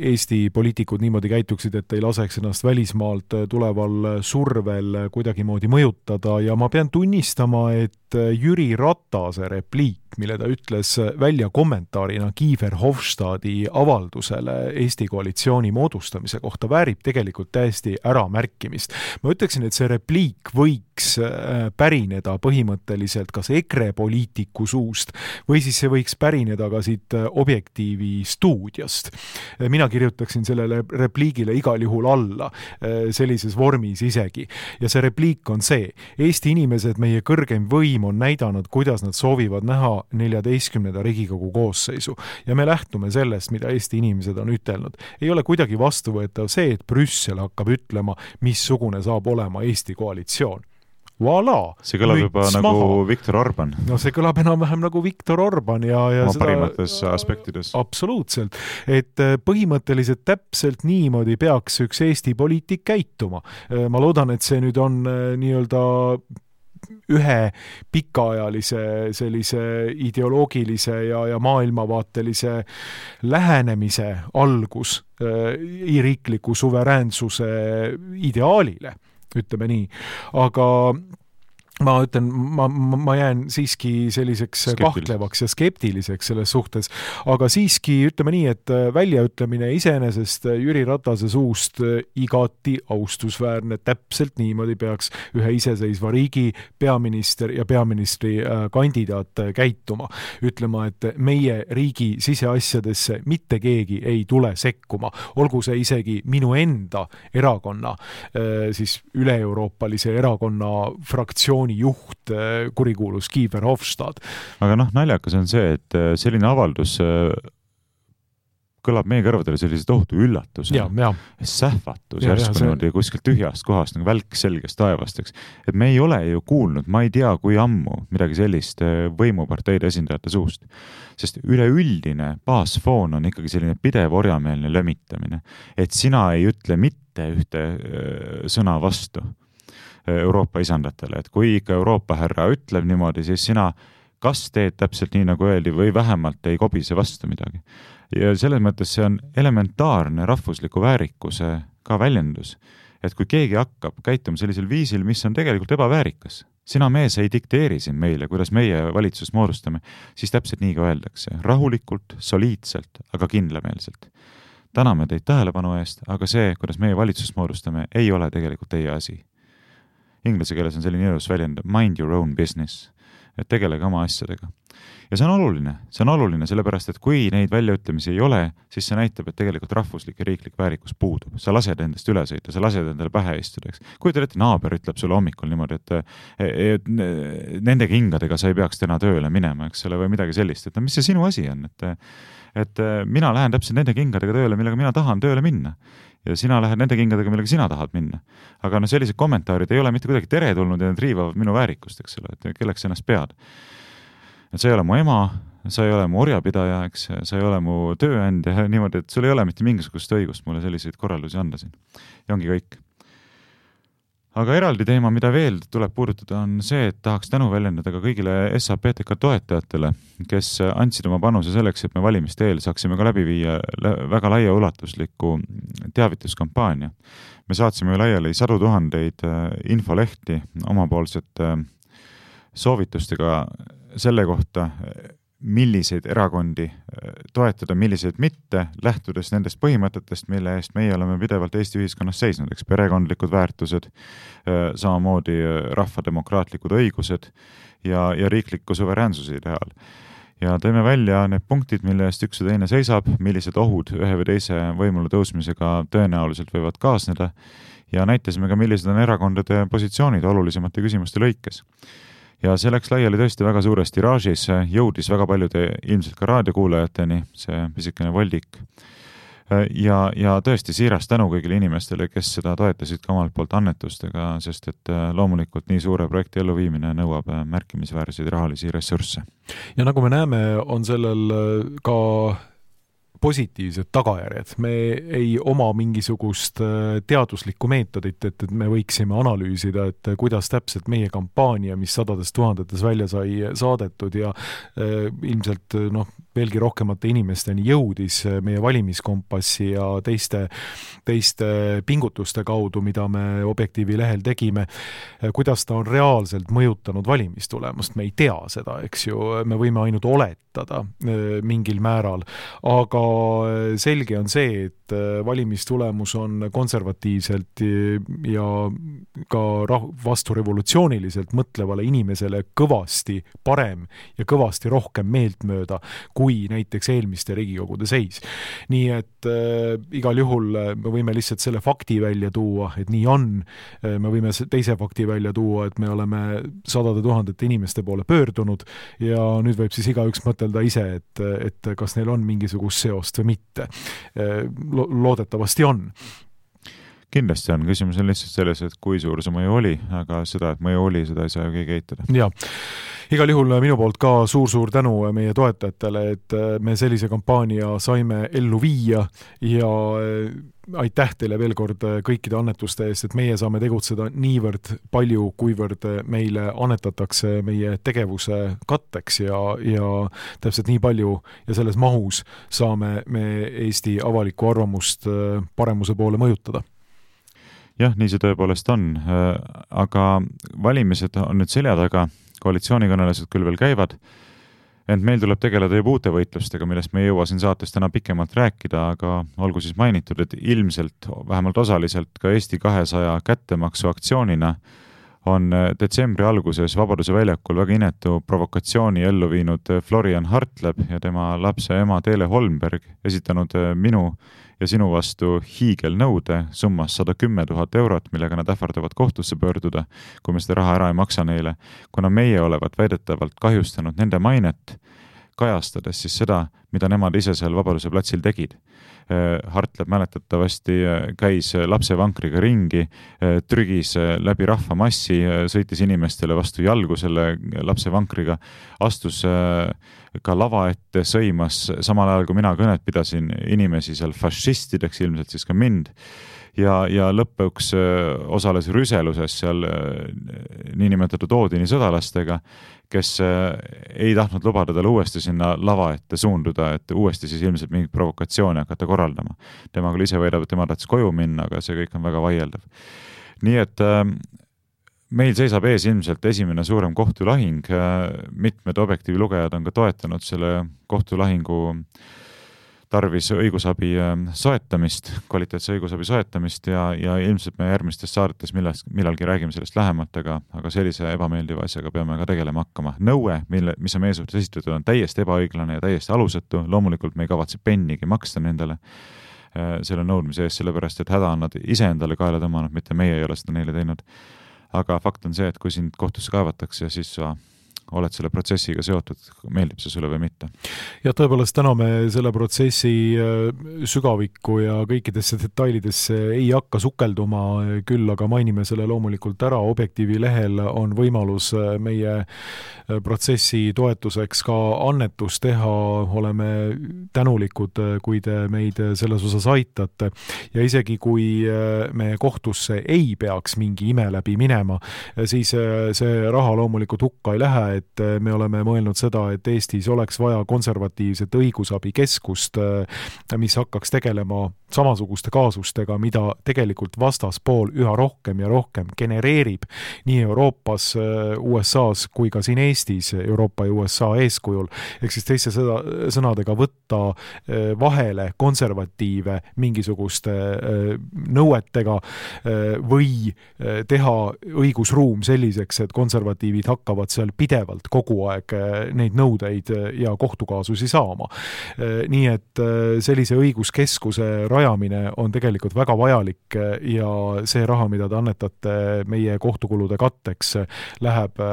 Eesti poliitikud niimoodi käituksid, et ei laseks ennast välismaalt tuleval survel kuidagimoodi mõjutada ja ma pean tunnistama, et Jüri Ratase repliik, mille ta ütles välja kommentaarina Kiefer Hofstadi avaldusele Eesti koalitsiooni moodustamise kohta, väärib tegelikult täiesti äramärkimist. Ma ütleksin, et see repliik võiks pärineda põhimõtteliselt kas EKRE poliitiku suust või siis see võiks pärineda ka siit Objektiivi stuudiast. Mina kirjutaksin sellele repliigile igal juhul alla, sellises vormis isegi. Ja see repliik on see: Eesti inimesed, meie kõrgem võim on näidanud, kuidas nad soovivad näha 14. Riigikogu koosseisu. Ja me lähtume sellest, mida Eesti inimesed on ütelnud. Ei ole kuidagi vastuvõetav see, et Brüssel hakkab ütlema, missugune saab olema Eesti koalitsioon. Voilà, see kõlab juba nagu Viktor Orban. No see kõlab enam-vähem nagu Viktor Orban ja oma parimates aspektides. Absoluutselt, et põhimõtteliselt täpselt niimoodi peaks üks Eesti poliitik käituma. Ma loodan, et see nüüd on nii-öelda ühe pikaajalise sellise ideoloogilise ja maailmavaatelise lähenemise algus riikliku suveräänsuse ideaalile, ütleme nii. Aga ma ütlen, ma jään siiski selliseks kahtlevaks ja skeptiliseks selles suhtes, aga siiski ütleme nii, et väljaütlemine iseenesest Jüri Ratase suust igati austusväärne, täpselt niimoodi peaks ühe iseseisva riigi peaminister ja peaministri kandidaat käituma. Ütlema, et meie riigi siseasjadesse mitte keegi ei tule sekkuma, olgu see isegi minu enda erakonna, siis üle-euroopalise erakonna fraktsiooni juht, kurikuulus Kiefer Hofstad. Aga naljakas on see, et selline avaldus kõlab meie kõrvadele sellise tohutu üllatuse, sähvatus järsku kuskilt tühjast kohast, nagu välk selgest taevast, et me ei ole ju kuulnud, ma ei tea, kui ammu midagi sellist võimuparteide esindajate suust, sest üleüldine baasfoon on ikkagi selline pidev orjameelne lömitamine, et sina ei ütle mitte ühte sõna vastu Euroopa isandatele, et kui ikka Euroopa härra ütleb niimoodi, siis sina kas teed täpselt nii, nagu öeldi, või vähemalt ei kobise vastu midagi. Ja selles mõttes see on elementaarne rahvusliku väärikuse ka väljendus, et kui keegi hakkab käituma sellisel viisil, mis on tegelikult ebaväärikas, sina mees ei dikteeri siin meile, kuidas meie valitsust moodustame, siis täpselt nii ka öeldakse. Rahulikult, soliidselt, aga kindlameelselt. Täname teid tähelepanu eest, aga see, kuidas meie valitsust moodustame, ei ole tegelikult teie asi. Inglise keeles on selline ilus väljend mind your own business, et tegelege oma asjadega. Ja see on oluline, sellepärast, et kui neid väljaütlemisi ei ole, siis see näitab, et tegelikult rahvuslik ja riiklik väärikus puudub. Sa lased endast üle sõita, sa lased endale pähe istuda. Kui te naaber ütleb sulle hommikul niimoodi, et nende kingadega sa ei peaks täna tööle minema, eks ole, või midagi sellist, et mis see sinu asi on, et mina lähen täpselt nende kingadega tööle, millega mina tahan tööle minna. Ja sina lähed nende kingadega, millega sina tahad minna. Aga sellised kommentaarid ei ole mitte kuidagi teretulnud ja need riivavad minu väärikust, eks ole, et kelleks ennast pead. Et sa ei ole mu ema, sa ei ole mu orjapidaja, eks, sa ei ole mu tööandja, niimoodi, et sul ei ole mitte mingisugust õigust mulle selliseid korraldusi anda siin. Ja ongi kõik. Aga eraldi teema, mida veel tuleb puudutada, on see, et tahaks tänu väljendada ka kõigile SAPTK toetajatele, kes andsid oma panuse selleks, et me valimiste eel saaksime ka läbi viia väga laia ulatusliku teavituskampaania. Me saatsime laiali 100 000 infolehti omapoolsete soovitustega selle kohta, milliseid erakondi toetada, milliseid mitte, lähtudes nendest põhimõtetest, mille eest meie oleme pidevalt Eesti ühiskonnas seisnud, eks perekondlikud väärtused, samamoodi rahvademokraatlikud õigused ja riikliku suveräänsuse ideaal. Ja teeme välja need punktid, mille eest üks ja teine seisab, millised ohud ühe või teise võimule tõusmisega tõenäoliselt võivad kaasneda ja näitasime ka, millised on erakondade positsioonid olulisemate küsimuste lõikes. Ja see läks laiali tõesti väga suures tiraažis, jõudis väga paljude ilmselt ka raadiokuulajateni, see pisikene voldik. Ja tõesti siiras tänu kõigile inimestele, kes seda toetasid ka omalt poolt annetustega, sest et loomulikult nii suure projekti elluviimine nõuab märkimisväärseid rahalisi ressursse. Ja nagu me näeme, on sellel ka positiivsed tagajärjed. Me ei oma mingisugust teaduslikku meetodit, et me võiksime analüüsida, et kuidas täpselt meie kampaania, mis sadades tuhandetes välja sai saadetud ja ilmselt veelgi rohkemate inimesteni jõudis meie valimiskompassi ja teiste pingutuste kaudu, mida me Objektiivi lehel tegime, kuidas ta on reaalselt mõjutanud valimistulemust. Me ei tea seda, eks ju, me võime ainult oletada mingil määral, aga selge on see, et valimistulemus on konservatiivselt ja ka vasturevolutsiooniliselt mõtlevale inimesele kõvasti parem ja kõvasti rohkem meeltmööda kui näiteks eelmiste Riigikogude seis. Nii et igal juhul me võime lihtsalt selle fakti välja tuua, et nii on. Me võime teise fakti välja tuua, et me oleme sadade tuhandete inimeste poole pöördunud ja nüüd võib siis igaüks mõtelda ise, et kas neil on mingisugust seost või mitte. Loodetavasti on. Kindlasti on. Küsimus on lihtsalt selles, et kui suur see mõju oli, aga seda, et mõju oli, seda ei saa ju keegi eitada. Jaa. Igal juhul minu poolt ka suur tänu meie toetajatele, et me sellise kampaania saime ellu viia ja aitäh teile veel kord kõikide annetuste eest, et meie saame tegutseda niivõrd palju, kuivõrd meile annetatakse meie tegevuse katteks ja täpselt nii palju ja selles mahus saame me Eesti avalikku arvamust paremuse poole mõjutada. Jah, nii see tõepoolest on, aga valimised on nüüd selja taga, koalitsioonikõnelused küll veel käivad, ent meil tuleb tegeleda juba uute võitlustega, millest me ei jõua siin saates täna pikemalt rääkida, aga olgu siis mainitud, et ilmselt, vähemalt osaliselt ka Eesti 200 kättemaksu aktsioonina on detsembri alguses Vabaduse väljakul väga inetu provokatsiooni ellu viinud Florian Hartleb ja tema lapse ema Teele Holmberg esitanud minu ja sinu vastu hiigelnõude summas 110 000 eurot, millega nad ähvardavad kohtusse pöörduda, kui me seda raha ära ei maksa neile, kuna meie olevat väidetavalt kahjustanud nende mainet, kajastades siis seda, mida nemad ise seal Vabaduse platsil tegid. Hartleb mäletatavasti käis lapsevankriga ringi, trügis läbi rahvamassi, sõitis inimestele vastu jalgu selle lapsevankriga, astus ka lava ette, sõimas samal ajal, kui mina kõnet pidasin inimesi seal fašistideks, ilmselt siis ka mind, ja lõpuks osales rüseluses seal niinimetatud Oodini sõdalastega, kes ei tahtnud lubada talle uuesti sinna lava ette suunduda, et uuesti siis ilmselt mingit provokatsiooni hakata korraldama. Tema küll ise väidab, et tema tahtis koju minna, aga see kõik on väga vaieldav. Nii et meil seisab ees ilmselt esimene suurem kohtulahing, mitmed Objektiivi lugejad on ka toetanud selle kohtulahingu tarvis õigusabi soetamist, kvaliteetse õigusabi soetamist ja ilmselt me järgmistes saadetes millalgi räägime sellest lähemalt, aga sellise ebameeldiva asjaga peame ka tegelema hakkama. Nõue, mis on meie suhtes esitatud, on täiesti ebaõiglane ja täiesti alusetu. Loomulikult me ei kavatse pennigi maksta nendele selle nõudmise eest, sellepärast et häda on nad ise endale kaela tõmmanud, mitte meie ei ole seda neile teinud. Aga fakt on see, et kui sind kohtusse kaevatakse, siis sa oled selle protsessiga seotud, meeldib see sulle või mitte. Ja tõepoolest täna me selle protsessi sügavikku ja kõikidesse detailidesse ei hakka sukelduma, küll aga mainime selle loomulikult ära. Objektiivi lehel on võimalus meie protsessi toetuseks ka annetus teha. Oleme tänulikud, kui te meid selles osas aitate. Ja isegi kui me kohtusse ei peaks mingi ime läbi minema, siis see raha loomulikult hukka ei lähe, et me oleme mõelnud seda, et Eestis oleks vaja konservatiivset õigusabikeskust, mis hakkaks tegelema samasuguste kaasustega, mida tegelikult vastaspool üha rohkem ja rohkem genereerib nii Euroopas, USAs kui ka siin Eestis, Euroopa ja USA eeskujul. Ehk siis teiste sõnadega võtta vahele konservatiive mingisuguste nõuetega või teha õigusruum selliseks, et konservatiivid hakkavad seal pidevalt kogu aeg neid nõudeid ja kohtukaasusi saama. Nii et sellise õiguskeskuse rajamine on tegelikult väga vajalik ja see raha, mida te annetate meie kohtukulude katteks, läheb,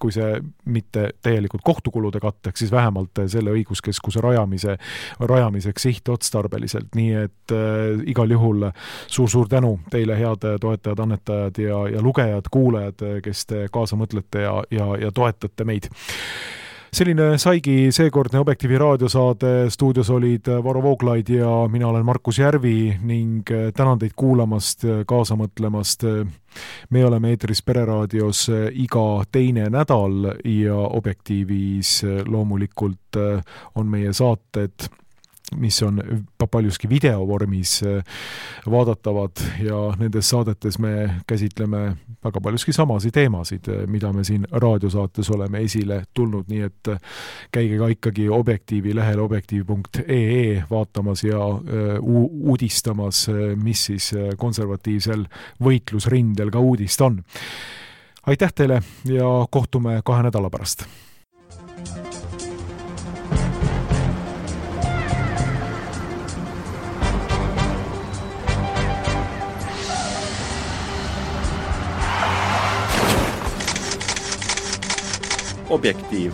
kui see mitte täielikult kohtukulude katteks, siis vähemalt selle õiguskeskuse rajamiseks sihtotstarbeliselt. Nii et igal juhul suur tänu teile, head toetajad, annetajad ja lugejad, kuulajad, kes te kaasa mõtlete ja toetate meid. Selline saigi seekordne Objektiivi raadiosaade. Stuudios olid Varro Vooglaid ja mina olen Markus Järvi ning tänan teid kuulamast, kaasa mõtlemast. Me oleme eetris Pereraadios iga teine nädal ja Objektiivis loomulikult on meie saated, mis on paljuski videovormis vaadatavad ja nendes saadetes me käsitleme väga paljuski samasid teemasid, mida me siin raadiosaates oleme esile tulnud, nii et käige ka ikkagi Objektiivi lehel objektiiv.ee vaatamas ja uudistamas, mis siis konservatiivsel võitlusrindel ka uudist on. Aitäh teile ja kohtume 2 nädala pärast. Objektiiv.